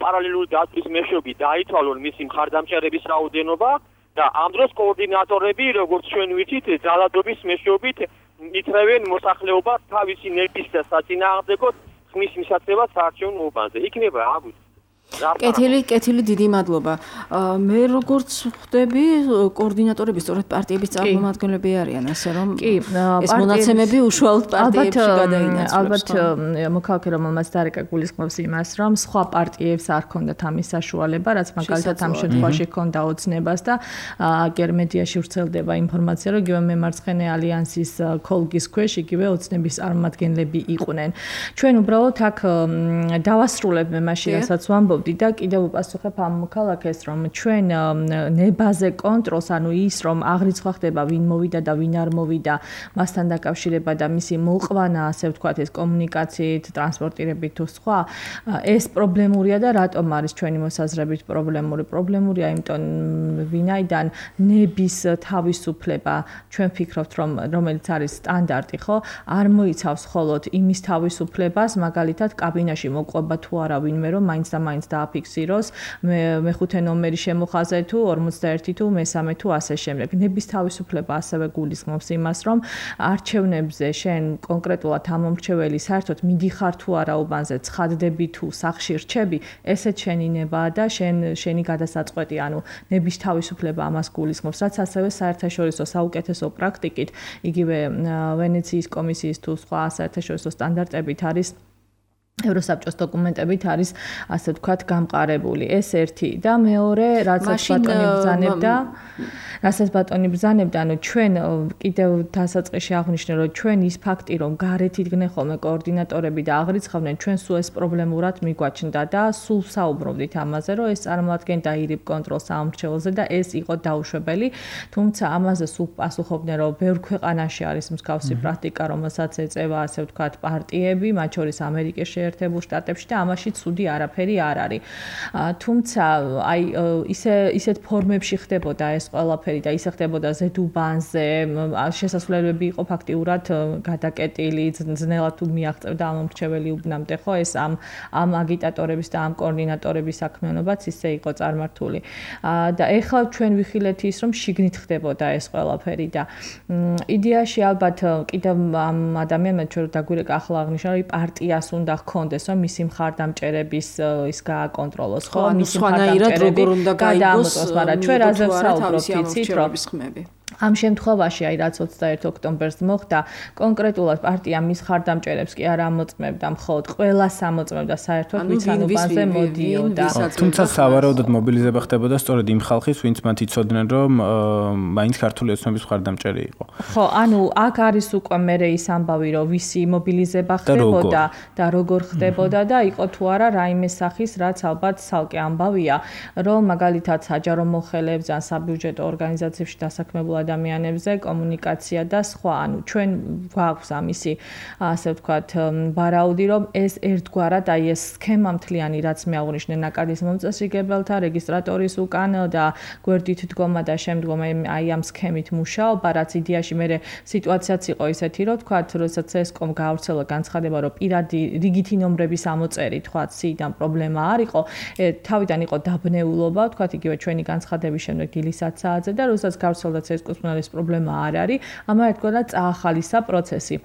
პარალელური დაცვის მეშვეობით დაითვალონ მისი მხარდამჭერების რაოდენობა და ამ დროს კოორდინატორები, როგორც ჩვენ ვიცით, ძალადობის მეშვეობით იწევენ მოსახლეობას თავისი ნების და საწინააღმდეგოდ ხმის მისაცემად საარჩევნო უბანზე. იქნება აგვით.
კეთილი, კეთილი, დიდი მადლობა. მე როგორც ხვდები, კოორდინატორები სწორედ პარტიების წარმომადგენლები არიან, ასე რომ ეს მონაცემები უშუალოდ პარტიებში გადაინაცვლებს.
ალბათ მოქალაქე რომელმაც დარეკა გულისხმობს იმას, რომ სხვა პარტიებს არ ჰქონდათ ამის საშუალება, რაც მაგალითად ამ შემთხვევაში ჰქონდა ოცნებას და აგერ მედიაში ვრცელდება ინფორმაცია, რომ იგივე მემარცხენე ალიანსის ქოლგის ქვეშ იგივე ოცნების წარმომადგენლები იყვნენ. ჩვენ უბრალოდ აქ დავასრულებ მე მაშინ, რასაც ვამბობ და კიდევ უპასუხებ ამ მოქალაქეს, რომ ჩვენ ნებაზე კონტროლს, ანუ ის, რომ აღრიცხვა ხდება, ვინ მოვიდა და ვინ არ მოვიდა, მასთან დაკავშირება და მისი მოყვანა, ასე ვთქვათ, ეს კომუნიკაციით, ტრანსპორტირებით თუ სხვა, ეს პრობლემურია და რატომ არის ჩვენი მოსაზრებით პრობლემური? პრობლემურია, იმიტომ ვინაიდან ნების თავისუფლება, ჩვენ ვფიქრობთ, რომ რომელიც არის სტანდარტი, ხო, არ მოიცავს მხოლოდ იმის თავისუფლებას, მაგალითად, კაბინაში მოყვება თუ არა ვინმე, რომ მაინც და მაინც დააფიქსიროს მეხუთე ნომერი შემოხაზე თუ ორმოცდაერთი თუ მესამე თუ ასე შემდეგ. ნების თავისუფლება ასევე გულისხმობს იმას, რომ არჩევნებზე შენ კონკრეტულად ამომრჩეველი საერთოდ მიდიხარ თუ არა უბანზე, ცხადდები თუ სახში რჩები, ესეც შენი ნება და შენ შენი გადასაწყვეტი, ანუ ნების თავისუფლება ამას გულისხმობს, რაც ასევე საერთაშორისო საუკეთესო პრაქტიკით, იგივე ვენეციის კომისიის თუ სხვა საერთაშორისო სტანდარტებით არის ევროსაბჭოს დოკუმენტებით არის ასე ვთქვათ გამყარებული. ეს ერთი და მეორე, რასაც ბატონი ბრძანებდა, რასაც ბატონი ბრძანებდა, ანუ ჩვენ კიდევ დასაწყისში აღვნიშნე, რომ ჩვენ ის ფაქტი, რომ გარეთ იდგნენ ხოლმე კოორდინატორები და აღრიცხავდნენ, ჩვენ სულ ეს პრობლემურად მიგვაჩნდა და სულ საუბრობდით ამაზე, რომ ეს წარმოადგენდა ირიბ კონტროლს ამომრჩეველზე და ეს იყო დაუშვებელი, თუმცა ამაზე სულ პასუხობდნენ, რომ ბევრ ქვეყანაში არის მსგავსი პრაქტიკა, რომელსაც ეწევა ასე ვთქვათ პარტიები, მათ შორის ამერიკის შეერთებულ შტატებში და ამაში ცუდი არაფერი არ არის. თუმცა აი ისე ისეთ ფორმებში ხდებოდა ეს ყველაფერი და ისე ხდებოდა ზედუბანზე, შესასვლელები იყო ფაქტიურად გადაკეტილი, ძნელად თუ მიაღწევდა ამომრჩეველი უბნამდე, ხო, ეს ამ ამ აგიტატორების და ამ კოორდინატორების საქმიანობაც ისე იყო წარმართული. და ეხლა ჩვენ ვიხილეთ ის, რომ შიგნით ხდებოდა ეს ყველაფერი და იდეაში ალბათ კიდევ ამ ადამიანმა ჩვენ დაგვირეკა ახლა აღნიშნა, რომ პარტიას უნდა ჰქონდეს, რომ მისი მხარდამჭერების ის გააკონტროლოს, ხო,
მისი მხარდამჭერები გადაამოწმოს,
მაგრამ ჩვენ რაზე ვსაუბრობთ, იცით, რომ
ხმები.
ამ შემთხვევაში აი რაც ოცდაერთი ოქტომბერს მოხდა, კონკრეტულად პარტია მის მხარდამჭერებს კი არ ამოწმებდა მხოლოდ, ყველას ამოწმებდა საერთოდ ვიცანუბანზე მოდიოდა.
თუმცა სავარაუდოდ მობილიზება ხდებოდა სწორედ იმ ხალხის, ვინც მათ იცოდნენ, რომ მაინც ქართული ოცნების მხარდამჭერი იყო.
ხო, ანუ აქ არის უკვე მერე ის ამბავი, რომ ვისი მობილიზება ხდებოდა და როგორ ხდებოდა და იყო თუ არა რაიმე სახის, რაც ალბათ ცალკე ამბავია, რომ მაგალითად საჯარო მოხელეებს ან საბიუჯეტო ორგანიზაციებში დასაქმებულ ადამიანებზე კომუნიკაცია და სხვა, ანუ ჩვენ გვაქვს ამისი, ასე ვთქვათ, ვარაუდი, რომ ეს ერთგვარად აი ეს სქემა მთლიანი, რაც მე აღნიშნე, ნაკადის მომწესრიგებელთა, რეგისტრატორის უკან და გვერდით დგომა და შემდგომ აი ამ სქემით მუშაობა, რაც იდეაში მე სიტუაციაც იყო ისეთი, რომ ვთქვათ, როდესაც ესკომ გაავრცელა განცხადება, რომ პირადი რიგითი ნომრების ამოწერით, ვთქვათ, სიიდან პრობლემა არ იყო, თავიდან იყო დაბნეულობა, ვთქვათ, იგივე ჩვენი განცხადების შემდეგ დილისაც საათზე და როდესაც გავრცელდა ეს პრობლემა არ არის, ამან ერთგვარად წაახალისა პროცესი.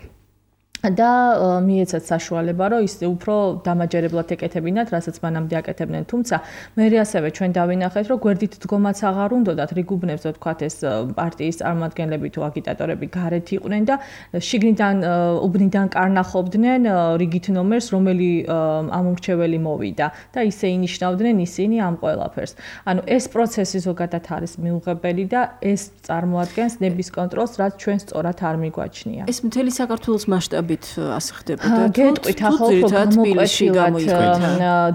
და მიეცათ საშუალება, რომ ის უფრო დამაჯერებლად ეკეთებინათ, რასაც მანამდე აკეთებდნენ. თუმცა მე ასევე ჩვენ დავინახეთ, რომ გვერდით დგომაც აღარ უნდათ რიგუბნებზე, ვთქვათ, ეს პარტიის წარმომადგენლები თუ აგიტატორები გარეთ იყვნენ და შიგნიდან უბნიდან კარნახობდნენ რიგით ნომერს, რომელი ამომრჩეველი მოვიდა და ისე ინიშნავდნენ ისინი ამ ყველაფერს. ანუ ეს პროცესი ზოგადად არის მიუღებელი და ეს წარმოადგენს ნების კონტროლს, რაც ჩვენ სწორად არ მიგვაჩნია.
ეს მთელი საქართველოს მასშტაბით ასე ხდებოდა.
გეტყვით ახლა უფრო გამოყვეთ,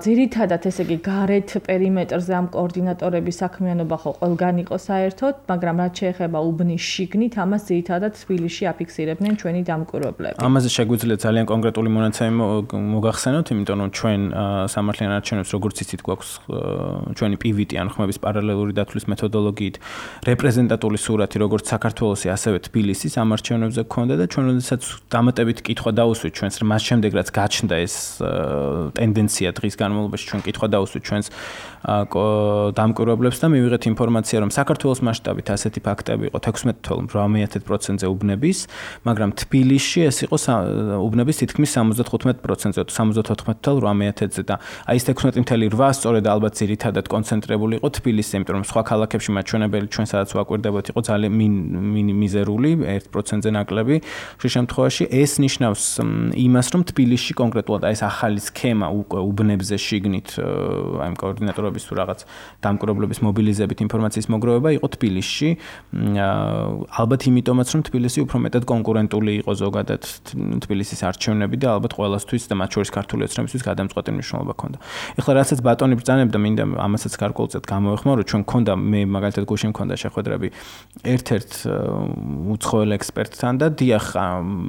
ძირითადად ესე იგი გარეთ პერიმეტრზე ამ კოორდინატორების საქმიანობა ხო ყველგან იყო საერთოდ, მაგრამ რაც შეეხება უბნის შიგნით, ამას ძირითადად თბილისში აფიქსირებდნენ ჩვენი დამკვირვებლები.
ამაზე შეგვიძლია ძალიან კონკრეტული მონაცემი მოგახსენოთ, იმიტომ რომ ჩვენ სამართლიან არჩევნებს როგორც იცით გვაქვს ჩვენი პი ვი ტი ან ხმების პარალელური დათვლის მეთოდოლოგიით რეპრეზენტატული სურათი როგორც საქართველოსი, ასევე თბილისის ამ არჩევნებზე გქონდა და ჩვენ როდესაც დამატებით კითხვა დაუსვით ჩვენს მას შემდეგ რაც გაჩნდა ეს ტენდენცია დღის განმავლობაში ჩვენ კითხვა დაუსვით ჩვენს დამკვირვებლებს და მივიღეთ ინფორმაცია რომ საქართველოს მასშტაბით ასეთი ფაქტები იყო თექვსმეტ თველ ორმოცდაათი პროცენტზე უბნების, მაგრამ თბილისში ეს იყო უბნების თითქმის სამოცდათხუთმეტ პროცენტზე, სამოცდაოთხ თველ ორმოცდაათზე და აი ეს თექვსმეტი თველი რვა სწორედ ალბათ ძირითადად კონცენტრირებული იყო თბილისზე, იმიტომ რომ სხვა ქალაქებში მაჩვენებელი ჩვენ სადაც ვაკვირდებოდ იყო ძალიან მიზერული ერთ პროცენტზე ნაკლები. ხშირ შემთხვევაში ეს ნიშნავს იმას, რომ თბილისში კონკრეტულად აი ეს ახალი სქემა უკვე უბნებზე შიგნით აი კოორდინატორების თუ რაღაც დამკვირვებლების მობილიზებით ინფორმაციის მოგროვება იყო თბილისში. ალბათ იმიტომაც, რომ თბილისი უფრო მეტად კონკურენტული იყო ზოგადად თბილისის არჩევნები და ალბათ ყველასთვის და მათ შორის ქართული ოცნებისთვის გადამწყვეტი მნიშვნელობა ჰქონდა. ეხლა რასაც ბატონი ბრძანებდა, მინდა ამასაც გარკვეულწილად გამოვეხმარო, რომ ჩვენ ჰქონდა მე მაგალითად გუშინ ჰქონდა შეხვედრები ერთ-ერთ უცხოელ ექსპერტთან და დიახ,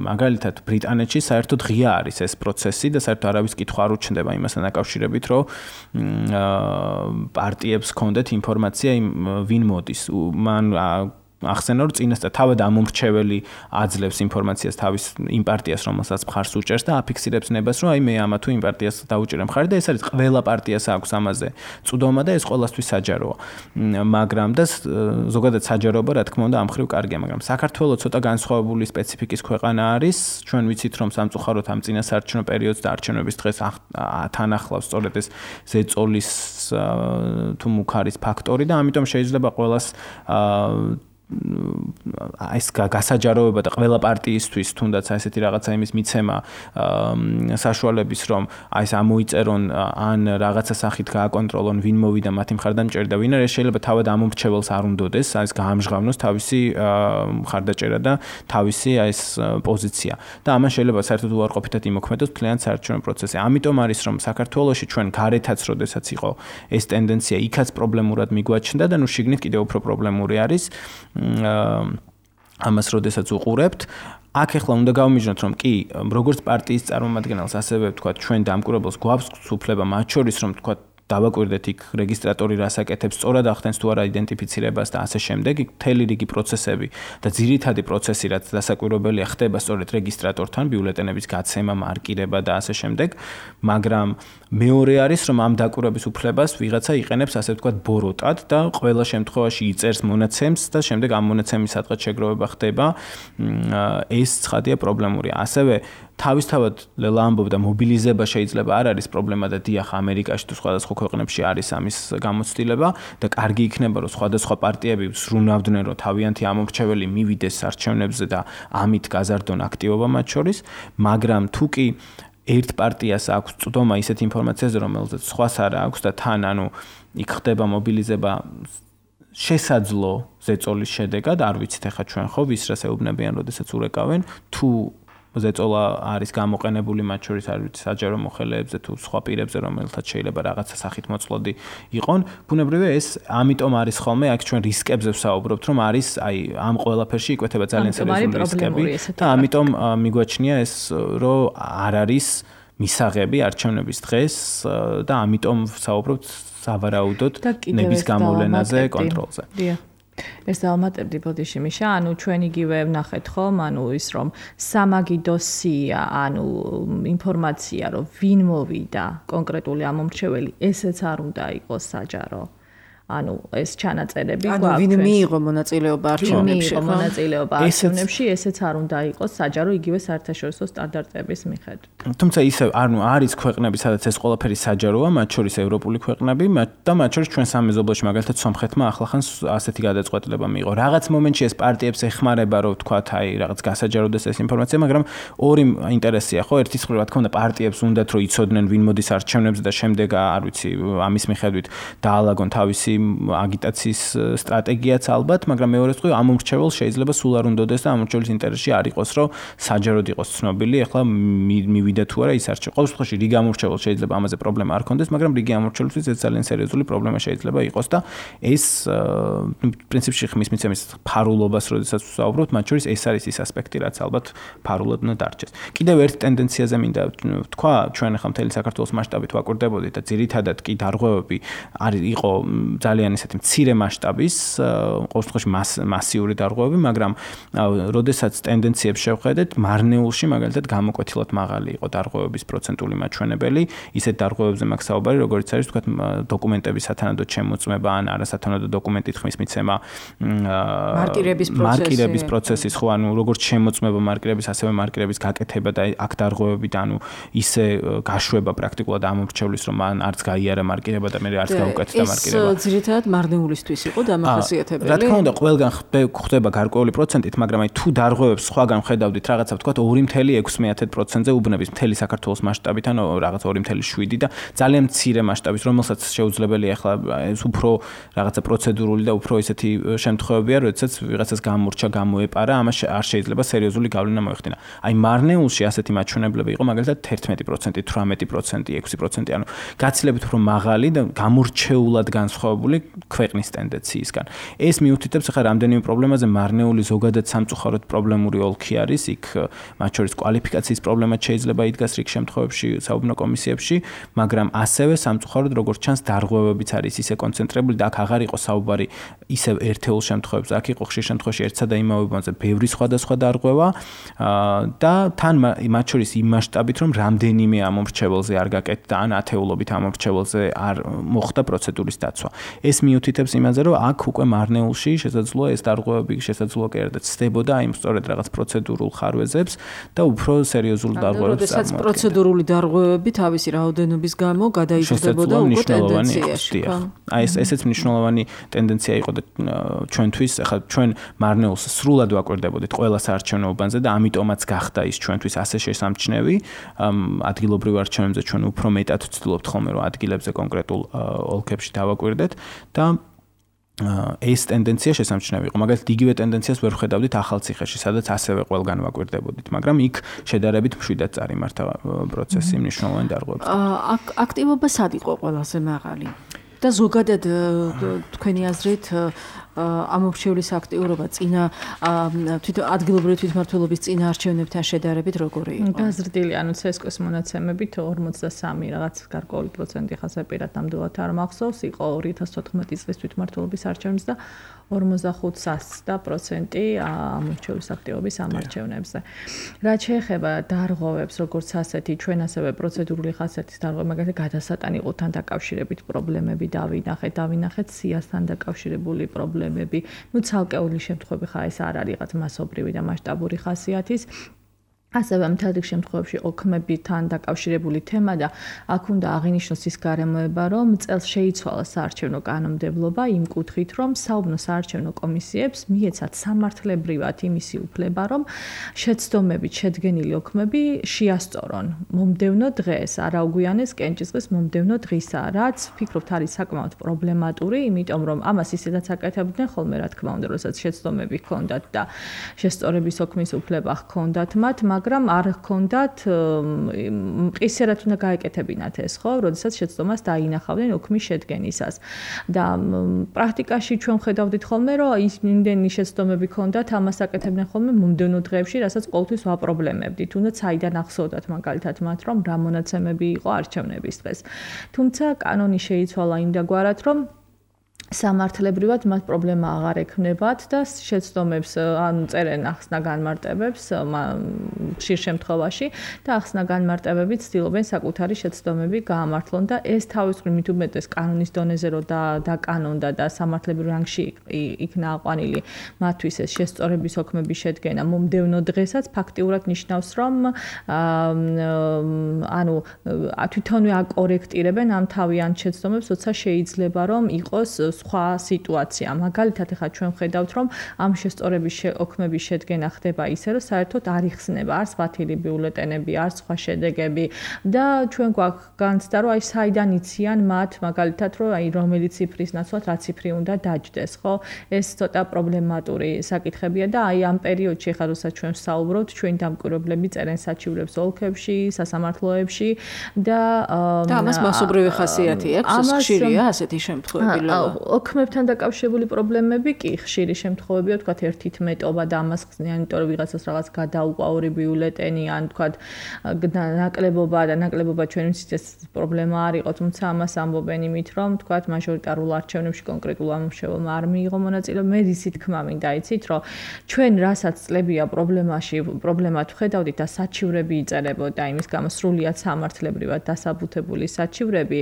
მაგალითად ბრიტანეთში საერთოდ ღია არის ეს პროცესი და საერთოდ არავის კითხვა არ უჩნდება იმასთან დაკავშირებით, რომ პარტიებს ჰქონდეთ ინფორმაცია ვინ მოდის. მან ახსენა, რომ წინასწარ თავად ამომრჩეველი აძლევს ინფორმაციას თავის იმ პარტიას, რომელსაც მხარს უჭერს და აფიქსირებს ნებას, რომ აი მე ამა თუ იმ პარტიას დაუჭერე მხარი და ეს არის ყველა პარტიას აქვს ამაზე წვდომა და ეს ყველასთვის საჯაროა. მაგრამ და ზოგადად საჯაროობა, რა თქმა უნდა, ამ ხრივ კარგია, მაგრამ საქართველოს ცოტა განსხვავებული სპეციფიკის ქვეყანა არის. ჩვენ ვიცით, რომ სამწუხაროდ ამ წინასაარჩევნო პერიოდს და არჩევნების დღეს თან ახლავს სწორედ ეს ზეწოლის თუ მუქარის ფაქტორი და ამიტომ შეიძლება ყველას ეს გასაჯაროება და ყველა პარტიისთვის თუნდაც ესეთი რაღაცა იმის მიცემა საშუალების რომ აი ეს ამოიწერონ ან რაღაცა სახით გააკონტროლონ ვინ მოვიდა მათი მხარდამჭერი და ვინ არის შეიძლება თავად ამომრჩეველს არ უნდოდეს აი ეს გაამჟღავნოს თავისი მხარდაჭერა და თავისი აი ეს პოზიცია და ამან შეიძლება საერთოდ უარყოფითად იმოქმედოს მთლიან საარჩევნო პროცესზე. ამიტომ არის რომ საქართველოში ჩვენ გარეთაც როდესაც იყო ეს ტენდენცია იქაც პრობლემურად მიგვაჩნდა და ნუ შიგნით კიდევ უფრო პრობლემური არის. ამას როდესაც უყურებთ აქ ახლა უნდა გავმიჯნოთ, რომ კი, როგორც პარტიის წარმომადგენელს, ასევე ვთქვათ, ჩვენ დამკვირვებელს გვაქვს უფლება მათ შორის, რომ ვთქვათ, დავაკვირდეთ იქ რეგისტრატორი რას აკეთებს, სწორად ახდენს თუ არა იდენტიფიცირებას და ასე შემდეგ, იქ მთელი რიგი პროცესები და ძირითადი პროცესი, რაც დასაკვირვებელია, ხდება სწორედ რეგისტრატორთან, ბიულეტენების გაცემა, მარკირება და ასე შემდეგ, მაგრამ მეორე არის, რომ ამ დაკვირვების უფლებას ვიღაცა იყენებს, ასე ვთქვათ, ბოროტად და ყველა შემთხვევაში იწერს მონაცემს და შემდეგ ამ მონაცემის სადღაც შეგროვება ხდება, ეს ცხადია პრობლემური. ასევე თავისთავად ლელა ამბობდა მობილიზება შეიძლება არ არის პრობლემა და დიახ ამერიკაში თუ სხვადასხვა ქვეყნებში არის ამის გამოცდილება და კარგი იქნება რომ სხვადასხვა პარტიები ზრუნავდნენ რომ თავიანთი ამომრჩეველი მივიდეს არჩევნებზე და ამით გაზარდონ აქტივობა მათ შორის, მაგრამ თუ კი ერთ პარტიას აქვს წვდომა ისეთ ინფორმაციაზე რომელზეც სხვას არ აქვს და თან ანუ იქ ხდება მობილიზება შესაძლო ზეწოლის შედეგად, არ ვიცით ახლა ჩვენ ხო ვის რას ეუბნებიან, როდესაც ურეკავენ, თუ ზეწოლა არის გამოყენებული მათ შორის არ ვიცი საჯარო მოხელეებზე თუ სხვა პირებზე, რომელთაც შეიძლება რაღაცა სახით მოწყლოდი იყონ, ბუნებრივია ეს ამიტომ არის ხოლმე აქ ჩვენ რისკებზე ვსაუბრობთ, რომ არის აი ამ ყველაფერში იკვეთება ძალიან სერიოზული რისკები და ამიტომ მიგვაჩნია ეს რომ არ არის მისაღები არჩევნების დღეს და ამიტომ ვსაუბრობთ სავარაუდოდ ნების გამოვლენაზე, კონტროლზე.
ეს დავამატებდი ბოდიში მიშა, ანუ ჩვენ იგივე ვნახეთ ხომ, ანუ ის რომ სამაგიდოსია, ანუ ინფორმაცია რომ ვინ მოვიდა კონკრეტული ამომრჩეველი, ესეც არ უნდა იყოს საჯარო. ანუ ეს ჩანაწერები
გვაქვს. ანუ ვინ მიიღო მონაწილეობა არჩევნებში,
ხო? მონაწილეობა არჩევნებში, ესეც არ უნდა იყოს საჯარო იგივე საერთაშორისო სტანდარტების მიხედვით.
თუმცა ისევ ანუ არის ქვეყნები, სადაც ეს ყველაფერი საჯაროა, მათ შორის ევროპული ქვეყნები და მათ შორის ჩვენ სამეზობლოში, მაგალითად სომხეთმა ახლახანს ასეთი გადაწყვეტილება მიიღო. რაღაც მომენტში ეს პარტიებს ეხმარება, რომ ვთქვათ, აი რაღაც გასაჯაროდეს ეს ინფორმაცია, მაგრამ ორი ინტერესია, ხო? ერთის მხრივ რა თქმა უნდა პარტიებს უნდათ რომ იცოდნენ ვინ მოდის არჩევნებზე და შემდეგ არ ვიცი, ამის მიხედვით დაალაგონ თავისი აგიტაციის სტრატეგიაც ალბათ, მაგრამ მეორე მხრივ ამომრჩეველს შეიძლება სულ არ უნდადეს და ამომრჩეველის ინტერესში არ იყოს, რომ საჯაროდ იყოს ცნობილი, ახლა მივიდა თუ არა ის არჩევნები. ყოველ შემთხვევაში რიგი ამომრჩეველს შეიძლება ამაზე პრობლემა არ ქონდეს, მაგრამ რიგი ამომრჩეველისთვის ეს ძალიან სერიოზული პრობლემა შეიძლება იყოს და ეს პრინციპში ხმის მიცემის ფარულობას, როდესაც ვსაუბრობთ, მათ შორის ეს არის ის ასპექტი, რაც ალბათ ფარულად უნდა დარჩეს. კიდევ ერთ ტენდენციაზე მინდა ვთქვა, ჩვენ ახლა მთელი საქართველოს მასშტაბით ვაკურდებოდით და ძირითადად კი დარღვევები არის იყო ძალიან ისეთი მცირე მასშტაბის, ყოველ შემთხვევაში მასიური დარღვევები, მაგრამ როდესაც ტენდენციებს შევხედეთ, მარნეულში მაგალითად გამოკვეთილად მაღალი იყო დარღვევების პროცენტული მაჩვენებელი, ისეთ დარღვევებზე მაქვს საუბარი, როგორც არის თქვათ დოკუმენტების სათანადო შემოწმება ან არასათანადო დოკუმენტით ხმის მიცემა,
მარკირების პროცესი,
მარკირების პროცესის, ხო, ანუ როგორც შემოწმება მარკირების, ასევე მარკირების გაკეთება და აქ დარღვევები და ანუ ისე გაშვება პრაქტიკულად ამომრჩევლის, რომ მან არც გაიარა მარკირება და მე არც გაუკეთდა მარკირება.
ძირითადად მარნეულისთვის იყო დამახასიათებელი.
რა თქმა უნდა, ყველგან ხდება გარკვეული პროცენტით, მაგრამ აი თუ დარღვევებს სხვაგან ხედავდით, რაღაცა ვთქვათ ორი კoma ექვსი პროცენტზე უბნების მთელი საქართველოს მასშტაბით, ანუ რაღაც ორი კoma შვიდი და ძალიან მცირე მასშტაბის, რომელსაც შეუძლებელია ახლა ეს უფრო რაღაცა პროცედურული და უფრო ისეთი შემთხვევებია, როდესაც ვიღაცას გამორჩა, გამოეპარა, ამას არ შეიძლება სერიოზული გავლენა მოეხდინა. აი მარნეულში ასეთი მაჩვენებლები იყო მაგალითად თერთმეტი პროცენტი, თვრამეტი პროცენტი, ექვსი პროცენტი, ანუ გაცილებით უფრო მაღალი და გამორჩეულად განსხვავებული ქვეყნის ტენდენციისგან. ეს მიუთითებს ახლა რამდენიმე პრობლემაზე, მარნეული ზოგადად სამწუხაროდ პრობლემური ოლქი არის, იქ მათ შორის კვალიფიკაციის პრობლემაც შეიძლება იდგას რიგ შემთხვევებში საუბნო კომისიებში, მაგრამ ასევე სამწუხაროდ როგორც ჩანს დარღვევებიც არის ისე კონცენტრირებული და აქ აღარ იყო საუბარი ისევ ერთეულ შემთხვევებში, აქ იყო ხშირ შემთხვევაში ერთსა და იმავე მომენტზე ბევრი სხვადასხვა დარღვევა და თან მათ შორის იმ მასშტაბით, რომ რამდენიმე ამომრჩეველზე არ გაკეთდა ან ათეულობით ამომრჩეველზე არ მოხდა პროცედურის დაცვა. ეს მიუთითებს იმაზე, რომ აქ უკვე მარნეულში შესაძლოა ეს დარღვევები შესაძლოა კიდევ ცდებოდა იმ სწორედ რაღაც პროცედურულ ხარვეზებს და უფრო სერიოზულ დარღვევებს
წარმოადგენდა. როდესაც პროცედურული დარღვევები თავისი რაოდენობის გამო გადაიზრდებოდა უკვე ტენდენციაში.
აი ეს ესეც მნიშვნელოვანი ტენდენცია იყო და ჩვენთვის, ახლა ჩვენ მარნეულს სრულად ვაკვირდებოდით ყველა საარჩევნო უბანზე და ამიტომაც გახდა ის ჩვენთვის ასე შესამჩნევი. ადგილობრივ არჩევნებზე ჩვენ უფრო მეტად ვცდილობთ ხოლმე რომ ადგილებზე კონკრეტულ ოლქებში დავაკვირდეთ და ეს ტენდენცია შესამჩნევი იყო. მაგალითად, იგივე ტენდენციას ვერ ვხედავდით ახალციხეში, სადაც ასევე ყველგან ვაკვირდებოდით, მაგრამ იქ შედარებით მშვიდად წარიმართა პროცესი მნიშვნელოვანი დარღვევებით.
აქტივობა სად იყო ყველაზე მაღალი? და ზოგადად თქვენი აზრით ამომრჩევლის აქტიურობა წინა თვითონ ადგილობრივი თვითმმართველობის წინა არჩევნებთან შედარებით როგორი იყო?
გაზრდილი, ანუ ცესკოს მონაცემებით ორმოცდასამი რაღაც გარკვეული პროცენტი ხასა პირად ნამდვილად არ მახსოვს, იყო ორი ათას თოთხმეტი წლის თვითმმართველობის არჩევნებს და ორმოცდახუთ პროცენტი ამომრჩევლის აქტივობის ამარჩევნებზე. რაც შეეხება დარღვევებს, როგორც ასეთი, ჩვენ ასევე პროცედურული ხასიათის დარღვევა, მაგალითად გადასატანიყოთან დაკავშირებით პრობლემები დავინახეთ, დავინახეთ სიასთან დაკავშირებული პრობლემები. ნუ ცალკეული შემთხვევები ხა ეს არ არის რაღაც მასობრივი და მასშტაბური ხასიათის. ასევე მთელ რიგ შემთხვევებში ოქმებთან დაკავშირებული თემა და აქ უნდა აღინიშნოს ის გარემოება, რომ წელს შეიცვალა საარჩევნო კანონმდებლობა იმ კუთხით, რომ საუბნო საარჩევნო კომისიებს მიეცათ სამართლებრივად იმისი უფლება, რომ შეცდომებით შედგენილი ოქმები შეასწორონ მომდევნო დღეს, არა უგვიანეს კენჭისყრის მომდევნო დღისა, რაც ვფიქრობთ არის საკმაოდ პრობლემატური, იმიტომ რომ ამას ისედაც აკეთებდნენ ხოლმე, რა თქმა უნდა, როდესაც შეცდომები ჰქონდათ და შესწორების ოქმის უფლება ჰქონდათ მათ, მაგრამ არ ჰქონდათ მყისერად უნდა გაეკეთებინათ ეს, ხო, როდესაც შეცდომას დაინახავდნენ ოქმის შედგენისას. და პრაქტიკაში ჩვენ ხედავდით ხოლმე, რომ ის იმდენი შეცდომები ჰქონდათ, ამას აკეთებდნენ ხოლმე მომდევნო დღეებში, რასაც ყოველთვის ვაპრობლემებდით. თუნდაც საიდან ახსოვდათ მაგალითად მათ, რომ რა მონაცემები იყო არჩევნების დღეს. თუმცა კანონი შეიცვალა იმდაგვარად, რომ სამართლებრივად მათ პრობლემა აღარ ექნებათ და შეცდომებს ანუ წერენ ახსნა განმარტებებს ხშირ შემთხვევაში და ახსნა განმარტებებით ცდილობენ საკუთარი შეცდომები გაამართლონ და ეს თავის მხრივ მით უმეტეს კანონის დონეზე რო დაკანონდა და სამართლებრივ რანგში იქნა აყვანილი მათთვის ეს შესწორების ოქმების შედგენა მომდევნო დღესაც ფაქტიურად ნიშნავს რომ ანუ თვითონვე აკორექტირებენ ამ თავიანთ შეცდომებს, როცა შეიძლება რომ იყოს სხვა სიტუაცია. მაგალითად, ახლა ჩვენ ვხედავთ, რომ ამ შესწორების ოქმების შედგენა ხდება ისე, რომ საერთოდ არ იხსნება, არც ბათილი ბიულეტენები, არც სხვა შედეგები და ჩვენ გვაქვს განცდა, რომ აი საიდან იციან მათ, მაგალითად, რომ აი რომელი ციფრის ნაცვლად რა ციფრი უნდა დაჯდეს, ხო? ეს ცოტა პრობლემატური საკითხებია და აი ამ პერიოდში, ახლა როცა ჩვენ ვსაუბრობთ, ჩვენი დამკვირვებლები წერენ საჩივრებს ოლქებში, სასამართლოებში და
და ამას მასობრივი ხასიათი აქვს, ხშირია ასეთი შემთხვევები.
ოქმებთან დაკავშირებული პრობლემები კი ხშირი შემთხვევებია, თქვათ ერთით მეტობა და ამას ხსნიან, იმიტომ რომ ვიღაცას რაღაც გადაუყვა ორი ბიულეტენი, ან თქვათ ნაკლებობა და ნაკლებობა ჩვენ ვიცით ეს პრობლემა არ იყო, თუმცა ამას ამბობენ იმით, რომ თქვათ მაჟორიტარულ არჩევნებში კონკრეტულ ამომრჩეველმა არ მიიღო მონაწილეობა. მე ისი თქმა მინდა იცით, რომ ჩვენ რასაც წლებია პრობლემაში, პრობლემად ვხედავდით და საჩივრები იწერებოდა, იმის გამო სრულიად სამართლებრივად დასაბუთებული საჩივრები,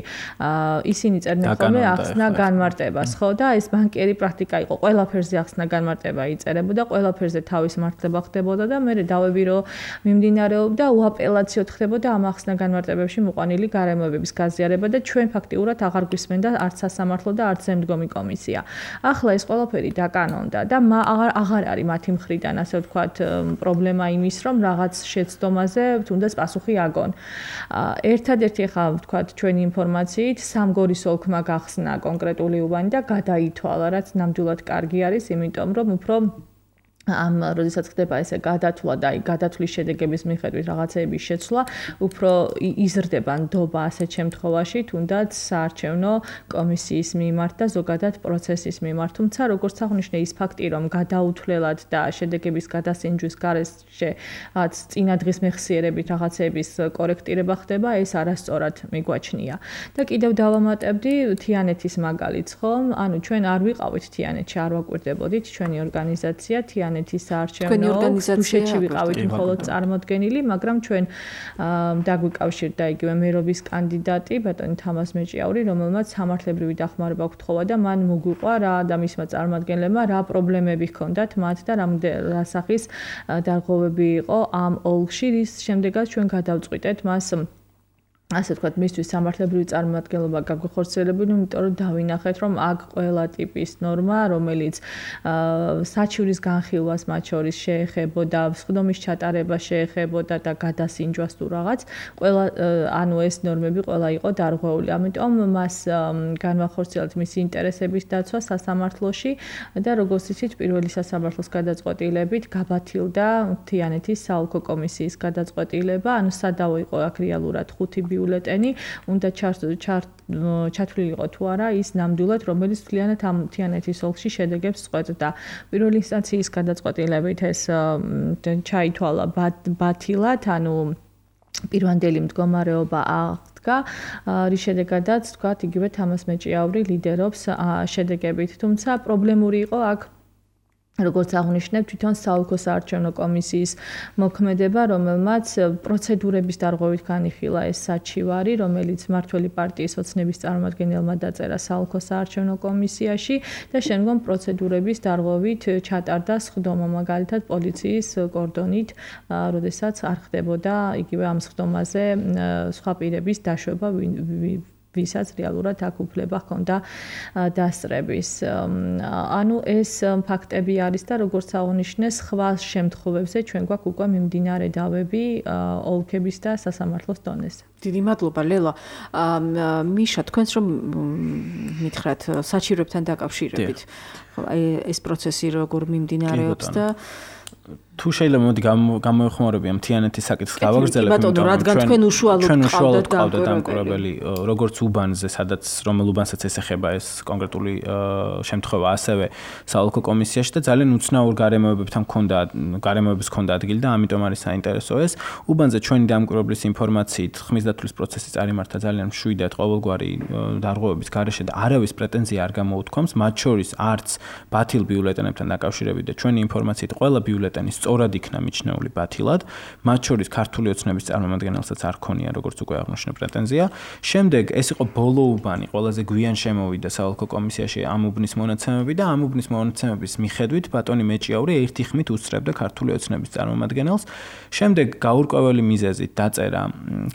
ისინი წერდნენ ხოლმე ახსნა განმარტებას, ხო და ეს ბანკიერი პრაქტიკა იყო. ყველაფერზე ახსნა განმარტება იწერებოდა, ყველაფერზე თავის მართლება ხდებოდა და მე დავები რომ მიმდინარეობდა უაპელაციოდ ხდებოდა ამ ახსნა განმარტებებში მოყვანილი გარემოებების გაზიარება და ჩვენ ფაქტიურად აღარ გვისმენდა არც სასამართლო და არც ზემდგომი კომისია. ახლა ეს ყველაფერი დაკანონდა და აღარ აღარ არის მათი მხრიდან, ასე ვთქვათ, პრობლემა იმის, რომ რაღაც შეცდომაზე თუნდაც პასუხი აგონ. ერთადერთი ახლა ვთქვათ ჩვენი ინფორმაციით სამგორის ოლქმა გახსნა კონკრეტული უბანი და გადაითვალა, რაც ნამდვილად კარგი არის, იმიტომ რომ უფრო ამ როდესაც ხდება ესე გადათვლა და აი გადათვლის შედეგების მიხედვით რაღაცეების შეცვლა, უფრო იზრდება ნდობა ასეთ შემთხვევაში, თუნდაც საარჩევნო კომისიის მიმართ და ზოგადად პროცესის მიმართ. თუმცა როგორც აღნიშნე ის ფაქტი, რომ გადაუთვლელად და შედეგების გადასინჯვის გარეშე რაც წინა დღის მეხსიერებით რაღაცეების კორექტირება ხდება, ეს არასწორად მიგვაჩნია. და კიდევ დავამატებდი თიანეთის მაგალითს, ხო? ანუ ჩვენ არ ვიყავით თიანეთში, არ ვაკვირდებოდით ჩვენი ორგანიზაცია თიანეთის საარჩევნო დუშეთში ვიყავით მხოლოდ წარმოდგენილი, მაგრამ ჩვენ დაგვიკავშირდა იგივე მერობის კანდიდატი ბატონი თამაზ მეჭიაური, რომელმაც სამართლებრივი დახმარება გთხოვა და მან მოგვიყვა რა და მისმა წარმომადგენლებმა რა პრობლემები ჰქონდათ მათ და რა სახის დარღვევები იყო ამ ოლქში, რის შემდეგაც ჩვენ გადავწყვიტეთ მას ასე ვთქვათ, მისთვის სამართლებრივი წარმომადგენლობა გაგვეხორციელებული, იმიტომ რომ დავინახეთ, რომ აქ ყველა ტიპის ნორმა, რომელიც საჩივრის განხილვას მათ შორის შეეხებოდა, სხდომის ჩატარებას შეეხებოდა და გადასინჯვას თუ რაღაც, ყველა ანუ ეს ნორმები ყველა იყო დარღვეული. ამიტომ მას განვახორციელეთ მისი ინტერესების დაცვა სასამართლოში და როგორც იცით, პირველი სასამართლოს გადაწყვეტილებით გაბათილდა თიანეთის საოლქო კომისიის გადაწყვეტილება, ანუ სადავო იყო აქ რეალურად ხუთი ბიულეტენი უნდა ჩათვლილიყო თუ არა ის ნამდვილად, რომელიც მთლიანად ამ თიანეთის ოლქში შედეგებს წყვეტდა. პირველი ინსტანციის გადაწყვეტილებით ეს ჩაითვალა ბათილად, ანუ პირვანდელი მდგომარეობა აღდგა, რის შედეგადაც თქვათ იგივე თამას მეჭიაური ლიდერობს შედეგებით. თუმცა პრობლემური იყო აქ როგორც აღნიშნებ, თვითონ საოლქო საარჩევნო კომისიის მოქმედება, რომელმაც პროცედურების დარღვევით განიხილა ეს საჩივარი, რომელიც მმართველი პარტიის ოცნების წარმომადგენელმა დაწერა საოლქო საარჩევნო კომისიაში და შემდგომ პროცედურების დარღვევით ჩატარდა სხდომა, მაგალითად პოლიციის კორდონით, როდესაც არ ხდებოდა იგივე ამ სხდომაზე სხვა პირების დაშვება, ვისაც რეალურად აქ უფლება ჰქონდა დასწრების. ანუ ეს ფაქტები არის და როგორც აღნიშნეს, სხვა შემთხვევებზე ჩვენ გვაქვს უკვე მიმდინარე დავები ოლქების და სასამართლოს დონეზე.
დიდი მადლობა ლელა. მიშა, თქვენს რომ მითხრათ საჩივრებთან დაკავშირებით, ეს პროცესი როგორ მიმდინარეობს და
თუ შეიძლება მოდი გამოეხმარები ამ თიანეთის საკითხს გავაგრძელებ,
იმიტომ რომ თქვენ უშუალოდ
ყავდათ დამკვირვებელი, როგორც უბანზე, სადაც რომელ უბანსაც ესეხება ეს კონკრეტული შემთხვევა, ასევე საოლქო კომისიაში და ძალიან უცნაურ გარემოებებთან მქონდა, გარემოების მქონდა ადგილი და ამიტომ არის საინტერესო ეს. უბანზე ჩვენი დამკვირვებლის ინფორმაციით ხმის დათვლის პროცესი წარიმართა ძალიან მშვიდად ყოველგვარი დარღვევების გარეშე და არავის პრეტენზია არ გამოუთქვამს, მათ შორის არც ბათილ ბიულეტენებთან დაკავშირებით და ჩვენი ინფორმაციით ყველა ბიულეტენი სწორად იქნა მიჩნეული ბათილად, მათ შორის ქართული ოცნების წარმომადგენელსაც არ ქონია, როგორც უკვე აღნიშნე პრეტენზია. შემდეგ ეს იყო ბოლო უბანი, ყველაზე გვიან შემოვიდა საოლქო კომისიაში ამ უბნის მონაცემები და ამ უბნის მონაცემების მიხედვით ბატონი მეჭიაური ერთი ხმით უსწრებდა ქართული ოცნების წარმომადგენელს. შემდეგ გაურკვეველი მიზეზით დაწერა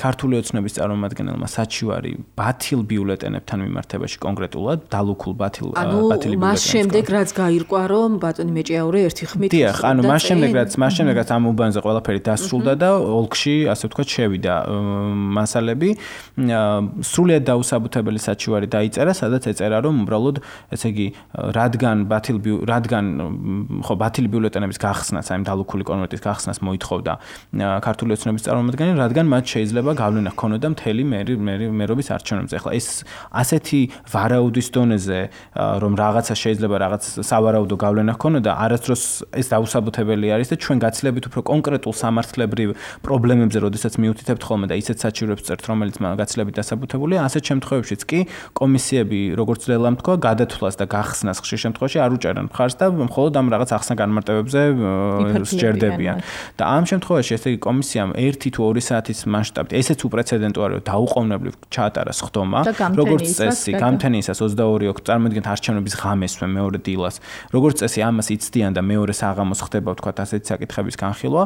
ქართული ოცნების წარმომადგენელმა საჩივარი ბათილ ბიულეტენებთან მიმართებაში კონკრეტულად, დალუქულ ბათილ ბათილი ბიულეტენებს.
მას შემდეგ რაც გაირკვა, რომ ბატონი მეჭიაური ერთი ხმით
დიახ, ანუ მას შემდეგ რაც მას შემდეგ რაც ამ უბანზე ყველაფერი დასრულდა და ოლქში, ასე ვთქვათ, შევიდა მასალები, სრულიად დაუსაბუთებელი საჩივარი დაიწერა, სადაც ეწერა, რომ უბრალოდ, ესე იგი, რადგან ბათილ რადგან ხო ბათილი ბიულეტენების გახსნას, აი დალუქული კონვერტის გახსნას მოითხოვდა ქართული ოცნების წარმომადგენელი, რადგან მათ შეიძლება გავლენა ჰქონოდა მთელი მერობის არჩევნებზე. ახლა ეს ასეთი ვარაუდის დონეზე, რომ რაღაცა შეიძლება რაღაც სავარაუდო გავლენა ჰქონოდა, არასდროს ეს დაუსაბუთებელი არის და ჩვენ გაცილებით უფრო კონკრეტულ სამართლებრივ პრობლემებზე, როდესაც მიუთითებთ ხოლმე და ისეთ საჩივრებს წერთ, რომელიც გაცილებით დასაბუთებულია, ასეთ შემთხვევებშიც კი კომისიები, როგორც ლელამ თქვა, გადათვლას და გახსნას ხშირ შემთხვევაში არ უჭერენ მხარს და მხოლოდ ამ რაღაც ახსნა განმარტებებზე სჭერდებიან. და ამ შემთხვევაში ესე იგი კომისიამ ერთი თუ ორი საათის მასშტაბით, ესეც უპრეცედენტო არის, დაუყოვნებლივ ჩაატარა სხდომა, როგორც წესი, გამთენიისას ოცდაორი ოქტომბერი წარმოგიდგენთ არჩევნების ღამესვე მეორე დილას. როგორც წესი ამას იცდიან და მეორე საღამოს ხდება ვთქვათ ასეთი საკითხების განხილვა.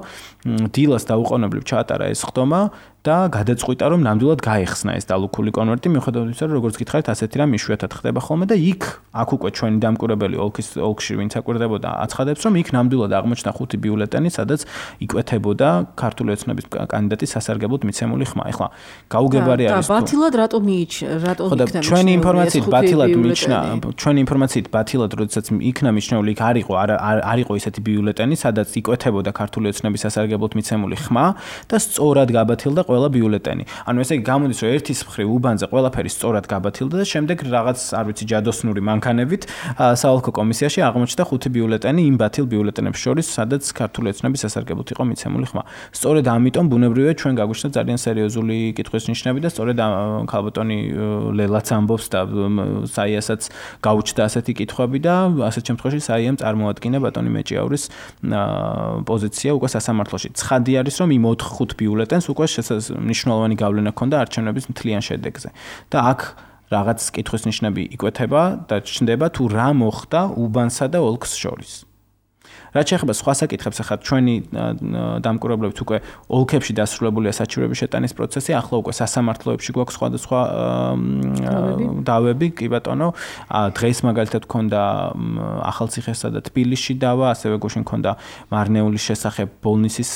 დილას დაუყოვნებლივ ჩაატარა ეს სხდომა და გადაწყვიტა, რომ ნამდვილად გაეხსნა ეს დალუქული კონვერტი, მიუხედავად იმისა, რომ როგორც გითხარით, ასეთი რამ იშვიათად ხდება ხოლმე და იქ, აქ უკვე ჩვენი დამკვირვებელი ოლქის ოლქში ვინც აკვირდებოდა, აცხადებს, რომ იქ ნამდვილად აღმოჩნდა ხუთი ბიულეტენი, სადაც იკვეთებოდა ქართული ოცნების კანდიდატის სასარგებლოდ მიცემული ხმა. ეხლა გაუგებარი არის
და ბათილად რატომ მიიჩ რატომ იქნა
ჩვენი ინფორმაციით ბათილად მიჩნა, ჩვენი ინფორმაციით ბათილად, როდესაც იქნა მიჩნეული, იქ არ იყო არ იყო ისეთი ბიულეტენი, სადაც იკვეთებოდა ქართული ოცნების სასარგებლოდ მიცემული ხმა და სწორად გაბათილდა ყველა ბიულეტენი. ანუ ესე იგი გამოდის, რომ ერთის მხრივ უბანზე ყველაფერი სწორად გაბათილდა და შემდეგ რაღაც, არ ვიცი, ჯადოსნური მანქანებით საოლქო კომისიაში აღმოჩნდა ხუთი ბიულეტენი იმ ბათილ ბიულეტენებს შორის, სადაც ქართული ოცნების სასარგებლოდ იყო მიცემული ხმა. სწორედ ამიტომ ბუნებრივია ჩვენ გაგვიშთა ძალიან სერიოზული კითხვის ნიშნები და სწორედ ქალბატონი ლელაც ამბობს და საიასაც გაუჩნდა ასეთი კითხვები და ასეთ შემთხვევაში საიამ წარმოადგინა ბატონი მეჭიაურის პოზიცია უკვე სასამართლოში. ცხადი არის, რომ იმ ოთხ ხუთ ბიულეტენს უკვე მნიშვნელოვანი გავლენა ჰქონდა არჩევნების მთლიან შედეგზე. და აქ რაღაც კითხვის ნიშნები იკვეთება და ჩნდება თუ რა მოხდა უბანსა და ოლქს შორის. რაც შეეხება სხვა საკითხებს, ახლა ჩვენი დამკვირვებლებით უკვე ოლქებში დასრულებულია საჩივრების შეტანის პროცესი, ახლა უკვე სასამართლოებში გვაქვს სხვადასხვა დავები, კი ბატონო. დღეს მაგალითად გქონდა ახალციხესა და თბილისში დავა, ასევე გუშინ გქონდა მარნეულის შესახებ ბოლნისის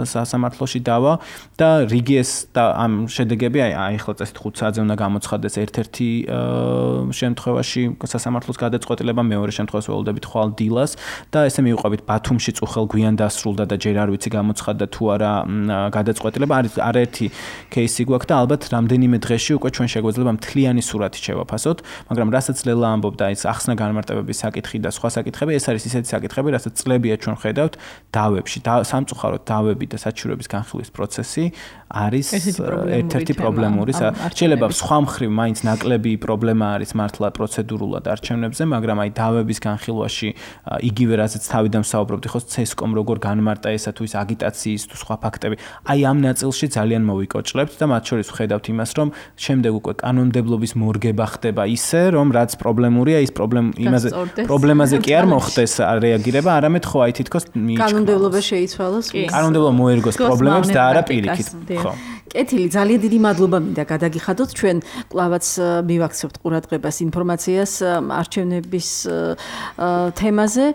სასამართლოში დავა და რიგი ეს და ამ შედეგები აი ახლა წესით ხუთ საათზე უნდა გამოცხადდეს ერთ-ერთი შემთხვევაში სასამართლოს გადაწყვეტილება, მეორე შემთხვევაში ველოდებით ხვალ დილას და ესე მოგივიყვებით ბათუმში წუხელ გვიან დასრულდა და ჯერ არ ვიცი გამოცხადდა თუ არა გადაწყვეტილება არის არაერთი кейსი გვაქვს და ალბათ რამდენიმე დღეში უკვე ჩვენ შეგვეძლება მთლიანი სურათი შევაფასოთ, მაგრამ რასაც ლელა ამბობდა ის ახსნა განმარტებების საკითხი და სხვა საკითხები, ეს არის ისეთი საკითხები, რასაც წლებია ჩვენ ხედავთ დავებში, სამწუხაროდ დავები და საჩივრების განხილვის პროცესი არის ერთ-ერთი პრობლემური. შეიძლება სხვა მხრივ მაინც ნაკლები პრობლემა არის მართლა პროცედურულად არჩევნებზე, მაგრამ აი დავების განხილვაში იგივე რაზეც თავიდან ვსაუბრობდი, ხო ცესკომ როგორ განმარტა ესა თუ ის აგიტაციის თუ სხვა ფაქტები, აი ამ ნაწილში ძალიან მოვიკოჭლებთ და მათ შორის ვხედავთ იმას, რომ შემდეგ უკვე კანონმდებლობის მორგება ხდება ისე, რომ რაც პრობლემურია, ის პრობლემ იმაზე პრობლემაზე კი არ მოხდეს რეაგირება, არამედ ხო აი თითქოს მიიჩქაროს.
კანონმდებლობა შეიცვალოს.
კანონმდებლობა მოერგოს პრობლემებს და არა პირიქით. ხო.
კეთილი, ძალიან დიდი მადლობა მინდა გადაგიხადოთ. ჩვენ კვლავაც მივაქცევთ ყურადღებას ინფორმაციას არჩევნების თემაზე.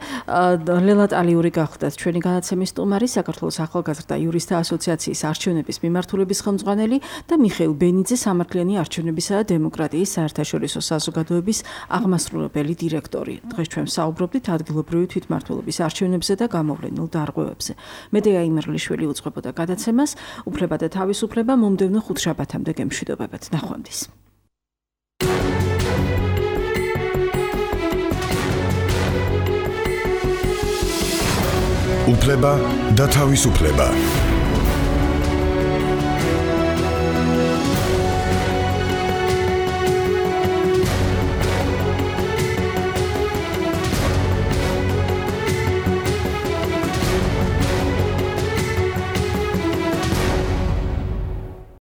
ლელა ტალიური გახლდათ ჩვენი განაცემის სტუმარი, საქართველოს ახალგაზრდა იურისტთა ასოციაციის არჩევნების მიმართულების ხელმძღვანელი და მიხეილ ბენიძე, სამართლიანი არჩევნებისა და დემოკრატიის საერთაშორისო საზოგადოების აღმასრულებელი დირექტორი. დღეს ჩვენ საუბრობდით ადგილობრივი თვითმმართველობის არჩევნებზე და გამოვლენილ დარღვევებზე. მედეა იმერლიშვილი უძღვებოდა გადაცემას, უფლება და თავისუფლება მომდევნო ხუთშაბათამდე გემშვიდობებთ. ნახვამდის.
უფლება და თავისუფლება.